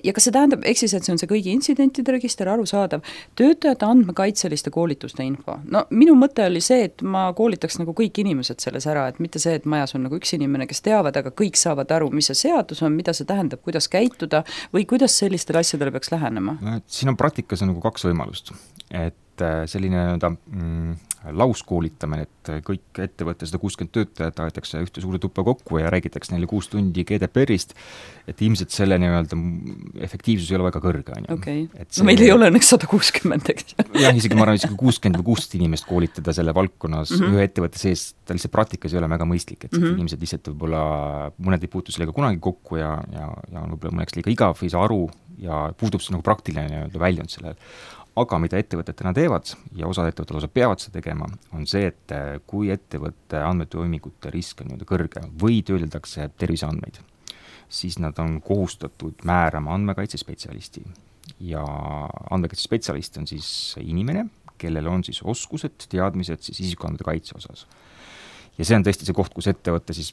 Ja kas see tähendab, eks siis, et see on see kõigi intsidentide register, arusaadav, töötajate andmekaitseliste koolituste info. No minu mõte oli see, et ma koolitaks nagu kõik inimesed selles ära, et mitte see, et majas on nagu üks inimene, kes teavad, aga kõik saavad aru, mis see seadus on, mida see tähendab, kuidas käituda või kuidas sellistele asjadele peaks lähenema? Siin on praktikas nagu kaks võimalust, et selline nii-öelda mm, lauskoolitamine, et kõik ettevõtte sada kuuskümmend töötajad aetakse ühte suurde tuppa kokku ja räägitakse neile kuus tundi G D P R-ist, et ilmselt selle nii-öelda efektiivsus ei ole väga kõrge. Okei, no meil ei ole õnneks sada kuuskümmend, eks? jah, isegi ma arvan, isegi kuuskümmend või kuusteist inimest koolitada selle valdkonnas mm -hmm. ühe ettevõtte sees, ta lihtsalt praktikas ei ole väga mõistlik, et mm -hmm. inimesed lihtsalt võib-olla, mõned ei puutu sellega kunagi kokku ja, ja, ja on võib-olla mõneks liiga igav, ei saa aru ja puudub see nagu praktiline nii-öelda väljund sellel. Aga mida ettevõtted täna teevad ja osad ettevõtted osa peavad seda tegema, on see, et kui ettevõtte andmetoimingute risk on nii-öelda kõrge või töödeldakse terviseandmeid, siis nad on kohustatud määrama andmekaitsespetsialisti. Ja andmekaitsespetsialist on siis inimene, kellel on siis oskused, teadmised siis isikuandmete kaitse osas. Ja see on tõesti see koht, kus ettevõtte siis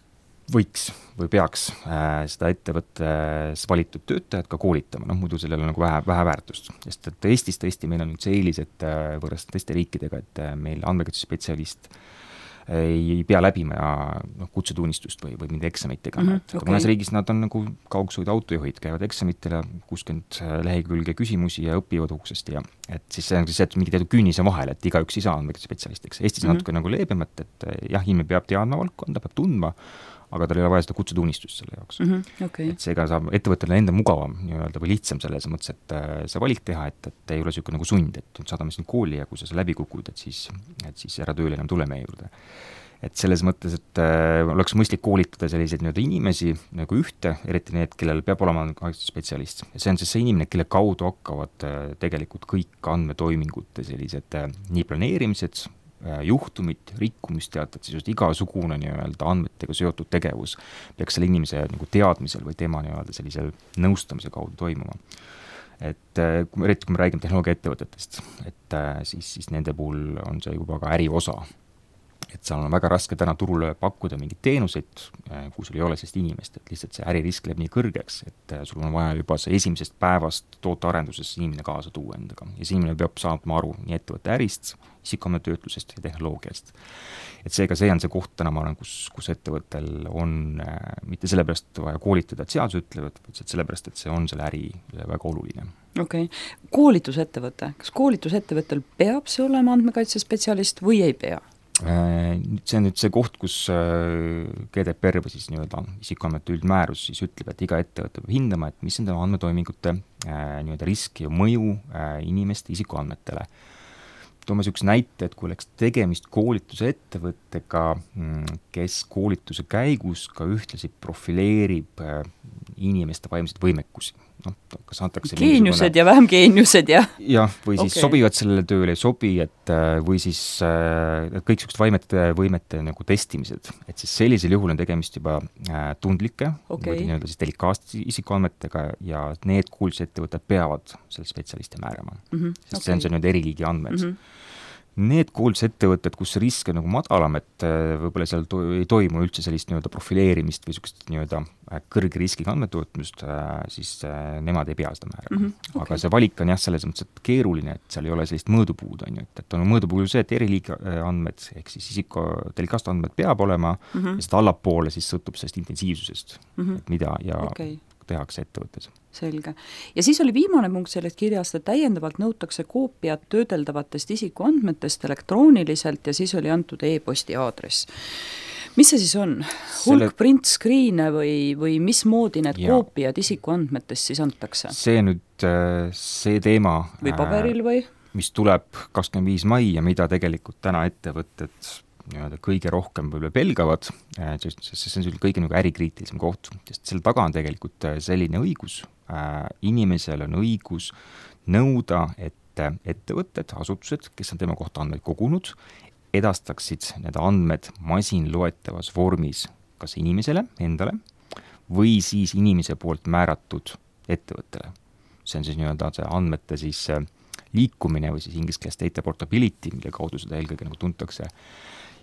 võiks või peaks äh, seda ettevõttes valitud töötajad ka koolitama, noh muidu sellel on nagu vähe, vähe väärtust. Sest et Eestis tõesti meil on nüüd see eelis, et äh, võrreldes teiste riikidega, et äh, meil andmekaitsespetsialist ei pea läbima noh, kutsetunnistust või, või mingi eksamit tegema mm, -hmm, et okay. mõnes riigis nad on nagu kaugsõidu autojuhid, käivad eksamitele, kuuskümmend lehekülge küsimusi ja õpivad uksest ja et siis see on siis see, et mingi teatud künnise vahel, et igaüks ei saa andmekaitsespetsialistiks. Eestis on mm -hmm. natuke nagu leebemat, et jah, inimene peab teadma valdkonda, peab tundma, aga tal ei ole vaja seda kutsetunnistust selle jaoks mm. -hmm, okay. et seega saab ettevõttele enda mugavam nii-öelda või lihtsam selles mõttes, et see valik teha, et, et ei ole niisugune nagu sund, et saadame sind kooli ja kui sa seal läbi kukud, et siis, et siis ära tööle enam tule meie juurde. Et selles mõttes, et äh, oleks mõistlik koolitada selliseid nii-öelda inimesi nagu ühte, eriti need, kellel peab olema spetsialist. Ja see on siis see inimene, kelle kaudu hakkavad äh, tegelikult kõik andmetoimingute sellised äh, nii planeerimised, juhtumid, rikkumisteated, siis just igasugune nii-öelda andmetega seotud tegevus peaks selle inimese nagu teadmisel või tema nii-öelda sellisel nõustamise kaudu toimuma. Et kui me, eriti kui me räägime tehnoloogiaettevõtetest, et siis, siis nende puhul on see juba ka äri osa. Et seal on väga raske täna turule pakkuda mingeid teenuseid, kui sul ei ole sellist inimest, et lihtsalt see äririsk läheb nii kõrgeks, et sul on vaja juba see esimesest päevast tootearendusest inimene kaasa tuua endaga. Ja see inimene peab saama aru nii ettevõtte ärist, isikuandmetöötlusest ja tehnoloogiast. Et seega see on see koht täna, ma arvan, kus, kus ettevõttel on äh, mitte sellepärast vaja koolitada, et seadus ütlevad, vaid sellepärast, et see on selle äri väga oluline. Okei. Okay. Koolitusettevõte. Kas koolitusettevõttel peab see olema andmekaitsespetsialist või ei pea? See on nüüd see koht, kus G D P R või siis nii-öelda isikuandmete üldmäärus siis ütleb, et iga ettevõte peab hindama, et mis on tema andmetoimingute nii-öelda risk ja mõju inimeste isikuandmetele. Toome niisuguse näite, et kui oleks tegemist koolituse ettevõttega, kes koolituse käigus ka ühtlasi profileerib inimeste vaimseid võimekusi. No, kas antakse geeniused mingisugune... ja vähem geeniused ja jah, või siis okay. sobivad sellele tööle ei sobi, et või siis et kõik niisugused vaimete võimete nagu testimised, et siis sellisel juhul on tegemist juba tundlike okay. või nii-öelda siis delikaatsete isikuandmetega ja need kuulsusettevõtted peavad selle spetsialisti määrama, mm -hmm. sest okay. see on see nüüd eriliigi andmed mm. -hmm. Need kuulsusettevõtted, kus see risk on nagu madalam, et võib-olla seal to ei toimu üldse sellist nii-öelda profileerimist või niisugust nii-öelda kõrge riskiga andmetootmist, siis nemad ei pea seda määrama. Mm -hmm. okay. Aga see valik on jah, selles mõttes, et keeruline, et seal ei ole sellist mõõdupuud, on ju, et, et on mõõdupuud see, et eriliigi andmed, ehk siis isiku delikaatsed andmed peab olema mm -hmm. ja seda allapoole siis sõltub sellest intensiivsusest, mm -hmm. et mida ja okay. tehakse ettevõttes. Selge. Ja siis oli viimane punkt sellest kirjast, et täiendavalt nõutakse koopiat töödeldavatest isikuandmetest elektrooniliselt ja siis oli antud e-posti aadress. Mis see siis on? Hulk Selle... print screen'e või, või mismoodi need ja. koopiad isikuandmetest siis antakse? See nüüd see teema, või paberil või? mis tuleb kakskümmend viis mai ja mida tegelikult täna ettevõtted nii-öelda kõige rohkem võib-olla pelgavad, sest see on selline kõige nagu ärikriitilisem koht, sest selle taga on tegelikult selline õigus, inimesel on õigus nõuda, et ettevõtted, asutused, kes on tema kohta andmeid kogunud, edastaksid need andmed masinloetavas vormis kas inimesele endale või siis inimese poolt määratud ettevõttele. See on siis nii-öelda see andmete siis liikumine või siis inglise keeles data portability, mille kaudu seda eelkõige nagu tuntakse.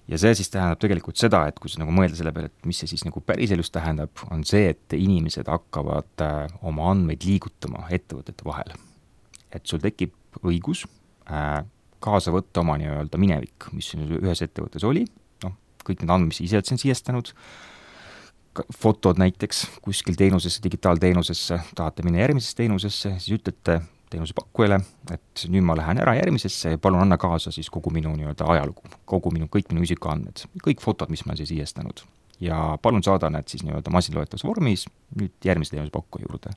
Ja see siis tähendab tegelikult seda, et kui sa nagu mõelda selle peale, et mis see siis nagu päriselus tähendab, on see, et inimesed hakkavad äh, oma andmeid liigutama ettevõtete vahel. Et sul tekib õigus äh, kaasa võtta oma nii-öelda minevik, mis ühes ettevõttes oli, noh, kõik need andmed, mis ise oled siiestanud, fotod näiteks kuskil teenusesse, digitaalteenusesse, tahate minna järgmisesse teenusesse, siis ütlete teenusepakkujale, et nüüd ma lähen ära järgmisesse ja palun anna kaasa siis kogu minu nii-öelda ajalugu, kogu minu, kõik minu isikuandmed, kõik fotod, mis ma siis siiestanud. Ja palun saada need siis nii-öelda masinloetavas vormis nüüd järgmise teenusepakkuja juurde.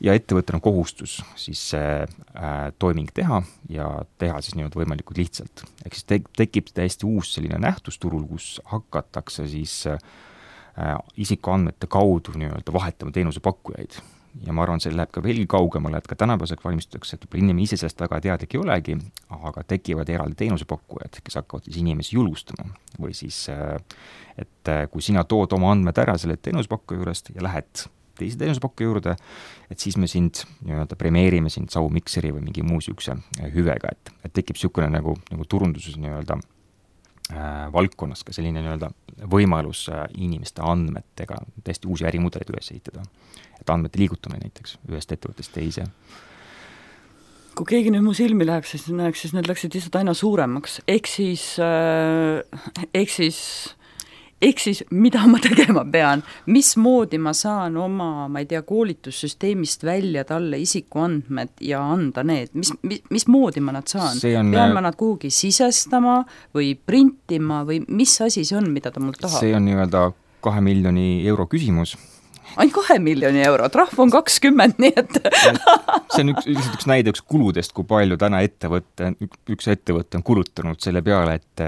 Ja ettevõttel on kohustus siis see äh, toiming teha ja teha siis nii-öelda võimalikult lihtsalt. Ehk siis te tekib täiesti uus selline nähtusturul, kus hakatakse siis äh, isikuandmete kaudu nii-öelda vahetama teenusepakkujaid. Ja ma arvan, see läheb ka veelgi kaugemale, et ka tänapäevaseks valmistutakse, et inimene ise sellest väga teadlik ei olegi, aga tekivad eraldi teenusepakkujad, kes hakkavad siis inimesi julgustama. Või siis, et kui sina tood oma andmed ära selle teenusepakkuja juurest ja lähed teise teenusepakkuja juurde, et siis me sind nii-öelda premeerime sind saumikseri või mingi muu siukse hüvega, et, et tekib siukene nagu, nagu turunduses nii-öelda äh, valdkonnas ka selline nii-öelda võimalus äh, inimeste andmetega täiesti uusi ärimudeleid üles ehitada. Et andmete liigutamine näiteks ühest ettevõttest teise. kui keegi nüüd mu silmi läheks, siis näeks, siis need läksid lihtsalt aina suuremaks. Ehk siis, ehk siis, ehk siis, mida ma tegema pean, mismoodi ma saan oma, ma ei tea, koolitussüsteemist välja talle isikuandmed ja anda need, mis, mis, mismoodi ma nad saan? On, pean ma nad kuhugi sisestama või printima või mis asi see on, mida ta mult tahab? See on nii-öelda kahe miljoni euro küsimus. Ainult kahe miljoni euro, trahv on kakskümmend, nii et see on üks, üks näide üks kuludest, kui palju täna ettevõtte, üks ettevõtte on kulutanud selle peale, et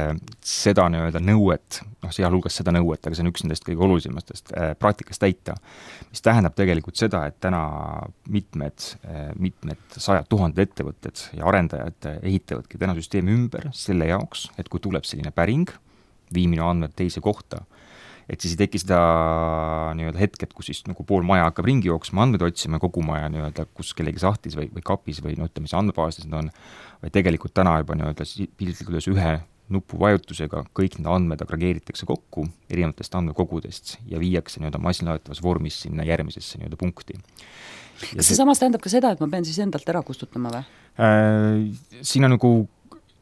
seda nii-öelda nõuet, noh, sealhulgas seda nõuet, aga see on üks nendest kõige olulisemastest äh, praktikas täita, mis tähendab tegelikult seda, et täna mitmed, mitmed sajad tuhanded ettevõtted ja arendajad ehitavadki täna süsteemi ümber selle jaoks, et kui tuleb selline päring, viimine andmed teise kohta, et siis ei teki seda nii-öelda hetket, kus siis nagu pool maja hakkab ringi jooksma, andmed otsima kogu maja nii-öelda, kus kellegi sahtlis või, või kapis või no ütleme, mis andmebaasis need on, vaid tegelikult täna juba nii-öelda piltlikult ühe nupu vajutusega kõik need andmed agregeeritakse kokku erinevatest andmekogudest ja viiakse nii-öelda masinloetavas vormis sinna järgmisesse nii-öelda punkti. Ja kas see samas tähendab ka seda, et ma pean siis endalt ära kustutama või? Äh, siin on nagu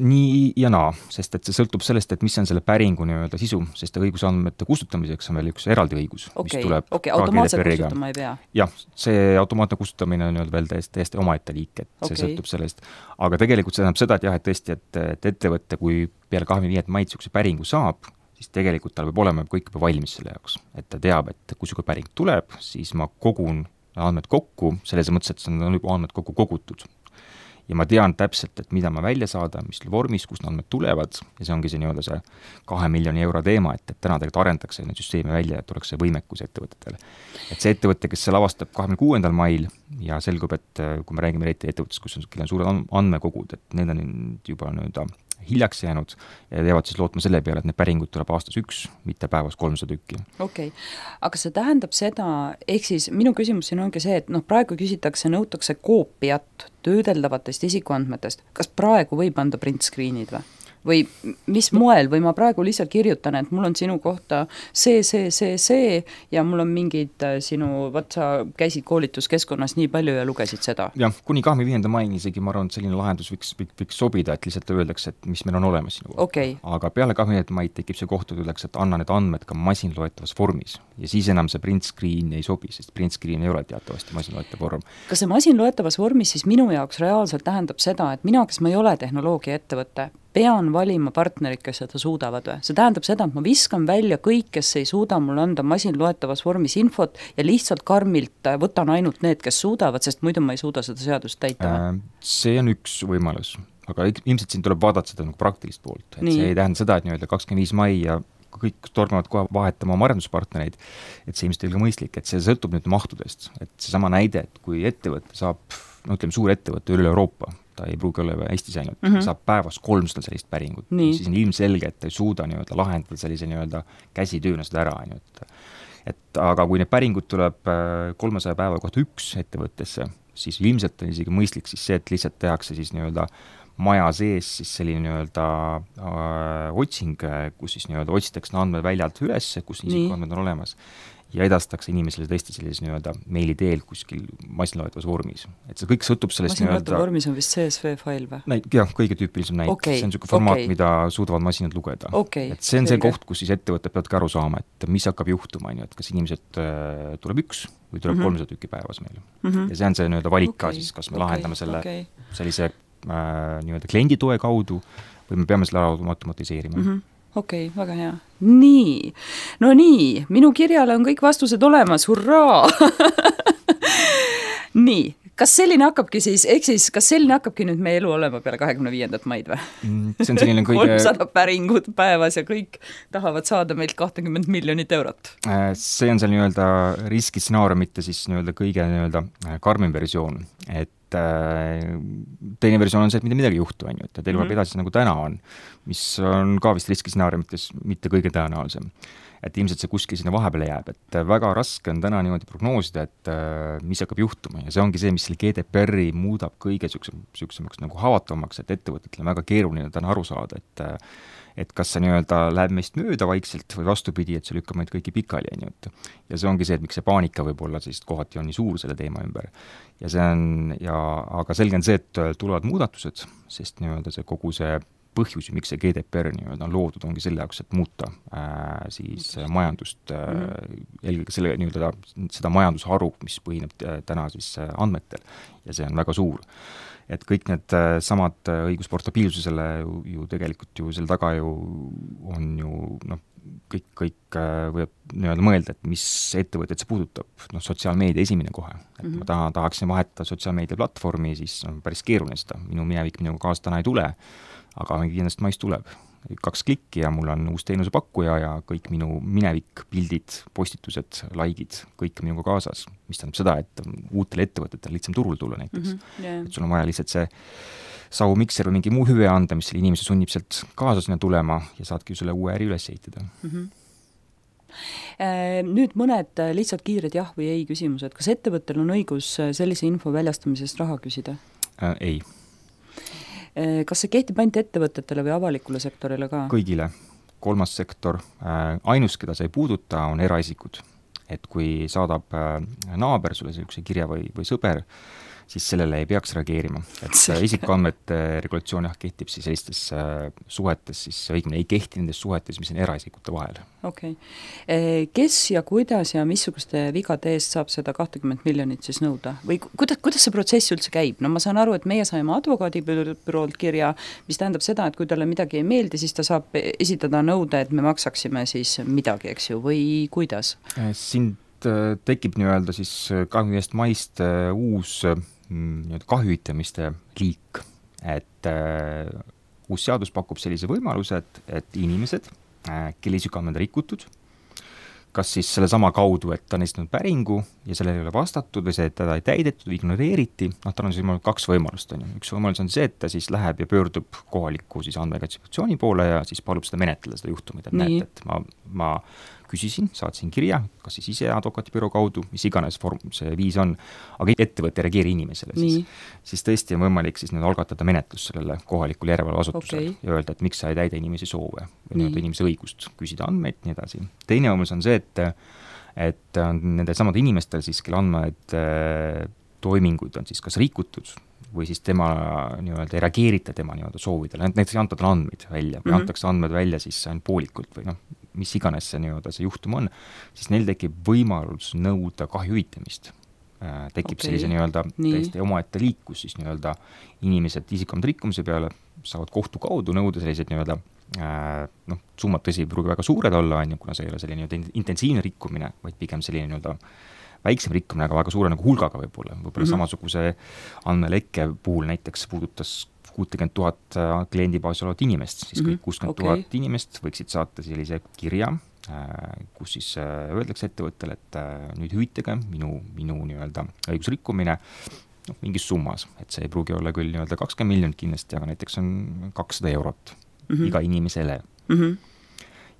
nii ja naa, sest et see sõltub sellest, et mis on selle päringu nii-öelda sisu, sest õigusandmete kustutamiseks on veel üks eraldi õigus, okay, mis tuleb okay, automaatselt kustutama ei pea? Jah, see automaatne kustutamine on nii-öelda veel täiesti, täiesti omaette liik, et okay. See sõltub sellest. Aga tegelikult see tähendab seda, et jah, et tõesti, et, et ettevõtte, kui peale kahekümne viiendat maid niisuguse päringu saab, siis tegelikult tal peab olema kõik juba valmis selle jaoks. Et ta teab, et kui niisugune päring tuleb, siis ma kogun andmed kokku, selles mõttes, et see on juba andmed kokku kogutud. Ja ma tean täpselt, et mida ma välja saada, mis vormis, kus andmed tulevad ja see ongi see nii-öelda see kahe miljoni euro teema, et, et täna tegelikult arendatakse neid süsteemi välja, et oleks see võimekus ettevõtetele. Et see ettevõte, kes seal avastab kahekümne kuuendal mail ja selgub, et kui me räägime eriti ettevõttest, kus on, on suured andmekogud, et need on juba nii-öelda hiljaks jäänud ja teevad siis lootma selle peale, et need päringud tuleb aastas üks, mitte päevas kolmsada tükki. Okei, okay. Aga see tähendab seda, ehk siis minu küsimus siin ongi see, et noh, praegu küsitakse, nõutakse koopiat töödeldavatest isikuandmetest. Kas praegu võib anda print screen'id või? Või mis moel, või ma praegu lihtsalt kirjutan, et mul on sinu kohta see, see, see, see ja mul on mingid sinu, vaat sa käisid koolituskeskkonnas nii palju ja lugesid seda. Jah, kuni kahekümne viienda maini isegi ma arvan, et selline lahendus võiks, võiks sobida, et lihtsalt öeldakse, et mis meil on olemas sinu kohta. Okay. Aga peale kahekümne viienda maid tekib see koht, et öeldakse, et anna need andmed ka masinloetavas vormis ja siis enam see print screen ei sobi, sest print screen ei ole teatavasti masinloetav vorm. Kas see masinloetavas vormis siis minu jaoks reaalselt tähendab seda, et mina, kes ma ei ole tehnoloogia ettevõte, pean valima partnerid, kes seda suudavad või? See tähendab seda, et ma viskan välja kõik, kes ei suuda mul anda masinloetavas vormis infot ja lihtsalt karmilt võtan ainult need, kes suudavad, sest muidu ma ei suuda seda seadust täita. See on üks võimalus, aga ilmselt siin tuleb vaadata seda nagu praktilist poolt. Et see ei tähenda seda, et nii-öelda kakskümmend viis mai ja kõik tormavad kohe vahetama oma arenduspartnereid, et see ilmselt ei ole mõistlik, et see sõltub nüüd mahtudest. Et see sama näide, et kui ettevõte saab, no ütleme, suur ettevõte üle Euroopa, ta ei pruugi olla Eestis ainult, mm -hmm. saab päevas kolmsada sellist päringut, siis on ilmselge, et ta ei suuda nii-öelda lahendada sellise nii-öelda käsitööna seda ära, et, et aga kui need päringud tuleb kolmesaja päeva kohta üks ettevõttesse, siis ilmselt on isegi mõistlik siis see, et lihtsalt tehakse siis nii-öelda maja sees siis selline nii-öelda äh, otsing, kus siis nii-öelda otsitakse andmed väljalt üles, kus isikuandmed on olemas ja edastakse inimesele tõesti sellises nii-öelda meili teel kuskil masinloetavas vormis. Et see kõik sõltub sellest masinloetav vormis on vist C S V fail või? Näid, jah, kõige tüüpilisem näit. Okay, see on niisugune formaat, okay. mida suudavad masinad lugeda. Okay, et see on selge. See koht, kus siis ettevõtted peavad ka aru saama, et mis hakkab juhtuma, et kas inimesed äh, tuleb üks või tuleb mm-hmm. kolmsada tükki päevas meile. Mm-hmm. Ja see on see nii-öelda valik okay, ka siis, kas me okay, lahendame selle okay. sellise äh, nii-öelda kliendi toe kaudu või me peame selle ära automatiseerima. Mm-hmm. Okei, okay, väga hea. Nii, no nii, minu kirjale on kõik vastused olemas, hurraa! Nii, kas selline hakkabki siis, ehk siis, kas selline hakkabki nüüd meie elu olema peale kahekümne viiendat maid või? See on selline kõige... kolmsada päringut päevas ja kõik tahavad saada meilt kakskümmend miljonit eurot. See on seal nii-öelda riskistsenaariumite siis nii-öelda kõige nii-öelda karmim versioon, et teine versioon on see, et mitte midagi juhtu, on ju, et elu mm-hmm. edasi nagu täna on, mis on ka vist riskistsenaariumites mitte kõige tõenäolisem. et ilmselt see kuskil sinna vahepeale jääb, et väga raske on täna niimoodi prognoosida, et mis hakkab juhtuma ja see ongi see, mis selle G D P R-i muudab kõige niisuguseks nagu haavatavamaks, et ettevõtetel on väga keeruline täna aru saada, et et kas see nii-öelda läheb meist mööda vaikselt või vastupidi, et see lükkab meid kõiki pikali, on ju, et ja see ongi see, et miks see paanika võib-olla siis kohati on nii suur selle teema ümber. Ja see on, ja aga selge on see, et tulevad muudatused, sest nii-öelda see kogu see põhjus, miks see G D P R nii-öelda on loodud, ongi selle jaoks, et muuta äh, siis majandust äh, mm-hmm. eelkõige selle nii-öelda seda majandusharu, mis põhineb täna siis andmetel ja see on väga suur. Et kõik need samad õigusportabiilsusele ju, ju tegelikult ju selle taga ju on ju noh, kõik, kõik võib nii-öelda mõelda, et mis ettevõtted see puudutab, noh sotsiaalmeedia esimene kohe, et mm-hmm. ma taha, tahaksin vahetada sotsiaalmeedia platvormi, siis on päris keeruline seda, minu minevik minuga kaasa täna ei tule, aga kindlasti mais tuleb. Kaks klikki ja mul on uus teenusepakkuja ja kõik minu minevik, pildid, postitused, likeid, kõik minuga kaasas, mis tähendab seda, et uutel ettevõtetel lihtsam turul tulla näiteks. Mm-hmm. Yeah. Et sul on vaja lihtsalt see savu mikser või mingi muu hüve anda, mis selle inimese sunnib sealt kaasa sinna tulema ja saadki ju selle uue äri üles ehitada. Mm-hmm. Nüüd mõned lihtsalt kiired jah või ei küsimused. Kas ettevõttel on õigus sellise info väljastamisest raha küsida? Äh, ei. Kas see kehtib ainult ettevõtetele või avalikule sektorile ka? Kõigile. Kolmas sektor, ainus, keda see ei puuduta, on eraisikud. Et kui saadab naaber sulle sellise kirja või, või sõber, siis sellele ei peaks reageerima. Et isikuandmete regulatsioon jah, kehtib siis sellistes suhetes, siis õigemini ei kehti nendes suhetes, mis on eraisikute vahel. Okei. Okay. Kes ja kuidas ja missuguste vigade eest saab seda kakskümmend miljonit siis nõuda? Või kuidas, kuidas see protsess üldse käib? No ma saan aru, et meie saime advokaadibüroolt kirja, mis tähendab seda, et kui talle midagi ei meeldi, siis ta saab esitada nõude, et me maksaksime siis midagi, eks ju, või kuidas? Siin tekib nii-öelda siis kahekümne viiendast maist uus nii-öelda kahjuitamiste liik, et äh, uus seadus pakub sellise võimaluse, et, et inimesed, äh, kelle isikuandmed on rikutud, kas siis selle sama kaudu, et ta on esitanud päringu ja sellele ei ole vastatud või see, et teda ei täidetud või ignoreeriti, noh, tal on siis kaks võimalust. On ju. Üks võimalus on see, et ta siis läheb ja pöördub kohaliku siis andmekaitseinspektsiooni poole ja siis palub seda menetleda, seda juhtumit, et näete, et ma, ma küsisin, saatsin kirja, kas siis ise advokaatibüroo kaudu, mis iganes vorm see viis on, aga ettevõte ei reageeri inimesele, siis, siis tõesti on võimalik siis nüüd algatada menetlus sellele kohalikul järelevalveasutusele okay. ja öelda, et miks sa ei täida inimese soove või inimese õigust küsida andmeid, nii edasi. Teine võimalus on see, et, et nende samade inimestel siis, kelle andmeid toiminguid on siis kas rikutud või siis tema nii-öelda ei reageerita tema nii-öelda soovidele, näiteks ei anta talle andmeid välja või mm-hmm. antakse andmed välja siis ainult poolikult või noh, mis iganes see nii-öelda see juhtum on, siis neil tekib võimalus nõuda kahju hüvitamist. Äh, tekib okay. sellise nii-öelda täiesti omaette liikus, siis nii-öelda inimesed isikuandmete rikkumise peale saavad kohtu kaudu nõuda sellised nii-öelda äh, noh, summad tõsi ei pruugi väga suured olla, on ju, kuna see ei ole selline nii-öelda intensiivne rikkumine, vaid pigem selline nii-öelda väiksem rikkumine, aga väga suure nagu hulgaga võib-olla. Võib-olla mm-hmm. samasuguse andmelekke puhul näiteks puudutas kuuskümmend tuhat kliendibaasi olevat inimest, siis kõik kuuskümmend tuhat okay. inimest võiksid saata sellise kirja, kus siis öeldakse ettevõttele, et nüüd hüvitage minu, minu nii-öelda õigusrikkumine noh, mingis summas, et see ei pruugi olla küll nii-öelda kakskümmend miljonit kindlasti, aga näiteks on kakssada eurot mm-hmm. iga inimesele. Mm-hmm.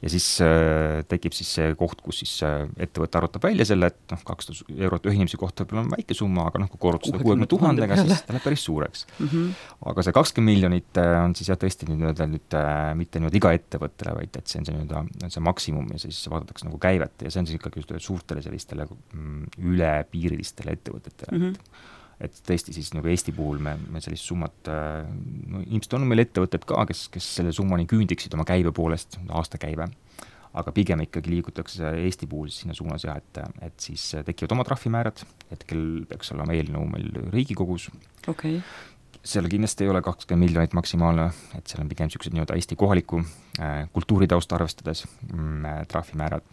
Ja siis äh, tekib siis see koht, kus siis äh, ettevõte arvutab välja selle, et noh, kakssada eurot ühe inimese kohta võib-olla on väike summa, aga noh, kui korrutada seda kuuekümne tuhandega, siis ta läheb päris suureks. Mm-hmm. Aga see kakskümmend miljonit on siis jah tõesti nüüd, nüüd äh, mitte nüüd iga ettevõttele, vaid et see on see, nüüd, see maksimum ja siis vaadatakse nagu käivet ja see on siis ikkagi suurtele sellistele mm, ülepiirilistele ettevõtetele. Mm-hmm. Et tõesti siis nagu Eesti puhul me, me sellist summat, no ilmselt on meil ettevõtted ka, kes, kes selle summani küündiksid oma käibe poolest, aastakäive, aga pigem ikkagi liigutakse Eesti puhul sinna suunas jah, et, et siis tekivad oma trahvimäärad, hetkel peaks olema eelnõu meil Riigikogus. Okay. Seal kindlasti ei ole kakskümmend miljonit maksimaalne, et seal on pigem niisugused nii-öelda Eesti kohaliku äh, kultuuritausta arvestades mm, trahvimäärad.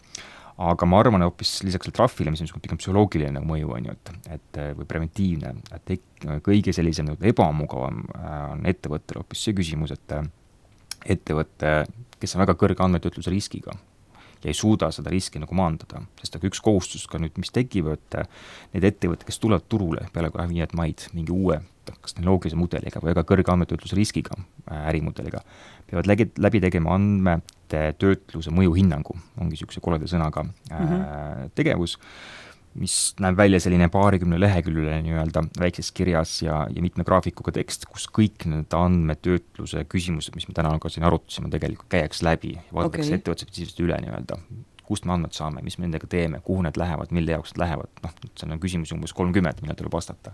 Aga ma arvan, et hoopis lisaks selle trahvile, mis on pigem psühholoogiline nagu mõju, on ju, et, et, või preventiivne, et tek, kõige sellisem nagu ebamugavam on ettevõttel hoopis see küsimus, et ettevõtte, kes on väga kõrge andmetöötluse riskiga ja ei suuda seda riski nagu maandada, sest aga üks kohustus ka nüüd, mis tekib, et need ettevõtted, kes tulevad turule peale kahekümne viiendat maid mingi uue kas tehnoloogilise mudeliga või ka kõrge andmetöötlusriskiga ärimudeliga, peavad läbi, läbi tegema andmete töötluse mõjuhinnangu, ongi niisuguse koleda sõnaga mm-hmm. tegevus, mis näeb välja selline paarikümne leheküljeline nii-öelda väikses kirjas ja, ja mitme graafikuga tekst, kus kõik need andmetöötluse küsimused, mis me täna ka siin arutasime, tegelikult käiks läbi ja vaadatakse okay. ettevõtte spetsiifiliselt üle nii-öelda, kust me andmed saame, mis me nendega teeme, kuhu need lähevad, mille jaoks need lähevad, noh, see on küsimus umbes kolmkümmend, millal tuleb vastata.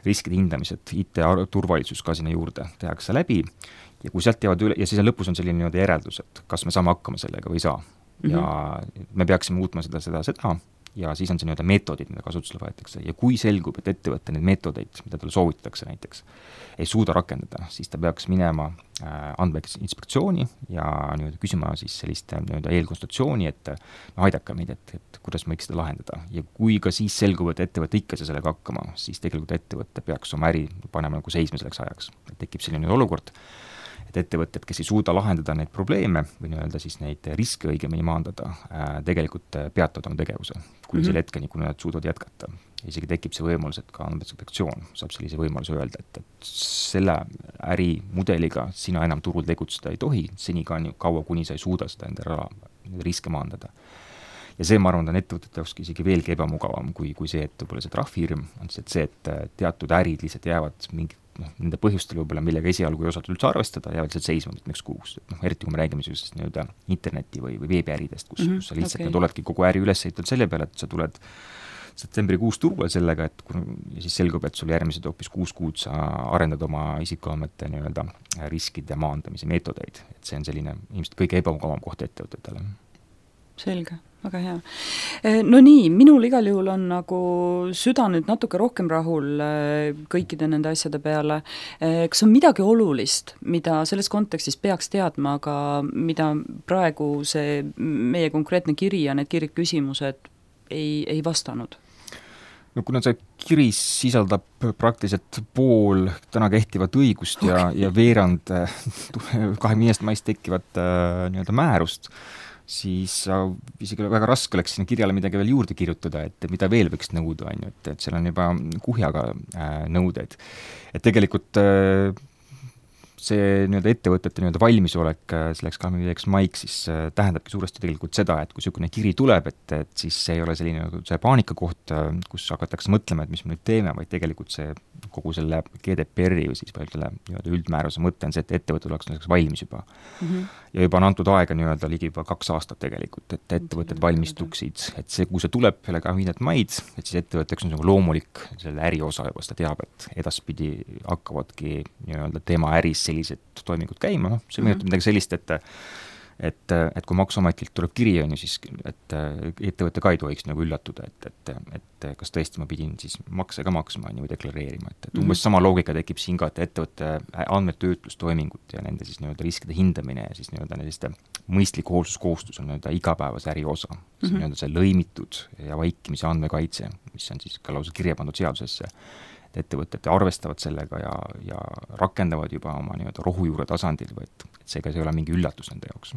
Riskide hindamised, I T-turvalisus ka sinna juurde tehakse läbi ja kui sealt jäävad üle, ja siis lõpus on selline nii-öelda järeldus, et kas me saame hakkama sellega või ei saa. Mm-hmm. Ja me peaksime muutma seda, seda, seda ja siis on see nii-öelda meetodid, mida kasutusele võetakse ja kui selgub, et ettevõtte neid meetodeid, mida talle soovitatakse näiteks, ei suuda rakendada, siis ta peaks minema andmeinspektsiooni ja nii-öelda küsima siis sellist nii-öelda eelkonsultatsiooni, et no aidake meid, et, et kuidas me võiks seda lahendada. Ja kui ka siis selgub, et ettevõtte ikka see sellega hakkama, siis tegelikult ettevõtte peaks oma äri panema nagu seisma selleks ajaks. Et tekib selline olukord, et ettevõtted, kes ei suuda lahendada neid probleeme või nii-öelda siis neid riske õigemini maandada, tegelikult peatavad oma tegevuse, kuni mm-hmm. selle hetkeni, kui nad suudavad jätkata. Isegi tekib see võimalus, et ka andmeinspektsioon saab sellise võimaluse öelda, et, et selle ärimudeliga sina enam turul tegutseda ei tohi, seni kaua, kuni sa ei suuda seda enda raha, riske maandada. Ja see, ma arvan, on ettevõtete jaoks isegi veelgi ebamugavam kui, kui see, et võib-olla see trahvihirm on see, et see, et teatud ärid lihtsalt jäävad mingi noh, nende põhjustel võib-olla, millega esialgu ei osatud üldse arvestada, jäävad lihtsalt seisma mitmeks kuus. Et noh, eriti kui me räägime sellisest nii-öelda interneti või, või veebiäridest, kus, mm-hmm, kus sa lihtsalt okay. oledki kogu äri üles ehitanud selle peale, et sa tuled septembrikuus turule sellega, et kui, ja siis selgub, et sul järgmised hoopis kuus kuud sa arendad oma isikuandmete nii-öelda riskide maandamise meetodeid. Et see on selline ilmselt kõige ebamugavam koht ettevõtetele. Selge, väga hea. No nii, minul igal juhul on nagu süda nüüd natuke rohkem rahul kõikide nende asjade peale. Kas on midagi olulist, mida selles kontekstis peaks teadma, aga mida praegu see meie konkreetne kiri ja need kiriküsimused ei, ei vastanud? No kuna see kiri sisaldab praktiliselt pool täna kehtivat õigust ja, okay. ja veerand kahekümne viiendast maist tekkivat nii-öelda määrust, siis isegi väga raske oleks sinna kirjale midagi veel juurde kirjutada, et mida veel võiks nõuda, on ju, et, et seal on juba kuhjaga nõudeid. Et tegelikult see nii-öelda ettevõtete nii-öelda valmisolek selleks kahekümne viiendaks maiks siis tähendabki suuresti tegelikult seda, et kui niisugune kiri tuleb, et, et siis see ei ole selline see paanika koht, kus hakatakse mõtlema, et mis me nüüd teeme, vaid tegelikult see kogu selle G D P R-i või siis selle nii-öelda üldmääruse mõte on see, et ettevõtted oleks selleks valmis juba. Mm-hmm. Ja juba on antud aega nii-öelda ligi juba kaks aastat tegelikult, et ettevõtted mm-hmm. valmistuksid, et see, kui see tuleb selle kahekümne viiendat maid, et siis ettevõtteks on nagu loomulik selle äri osa juba, seda teab, et edaspidi hakkavadki nii-öelda tema äris sellised toimingud käima, noh, see mõjutab midagi sellist, et et, et kui Maksuametilt tuleb kiri, on ju, siis et ettevõtte ka ei tohiks nagu üllatuda, et, et, et kas tõesti ma pidin siis makse ka maksma või deklareerima, et, et umbes mm-hmm. sama loogika tekib siin ka, et ettevõtte andmetöötlustoimingut ja nende siis nii-öelda riskide hindamine ja siis nii-öelda selliste mõistliku hoolsuskohustus on nii-öelda igapäevase äri osa. See mm-hmm. nii-öelda see lõimitud ja vaikimise andmekaitse, mis on siis ka lausa kirja pandud seadusesse, et ettevõtted arvestavad sellega ja, ja rakendavad juba oma nii-öelda rohujuure tasandil, et, et seega see ei ole mingi üllatus nende jaoks.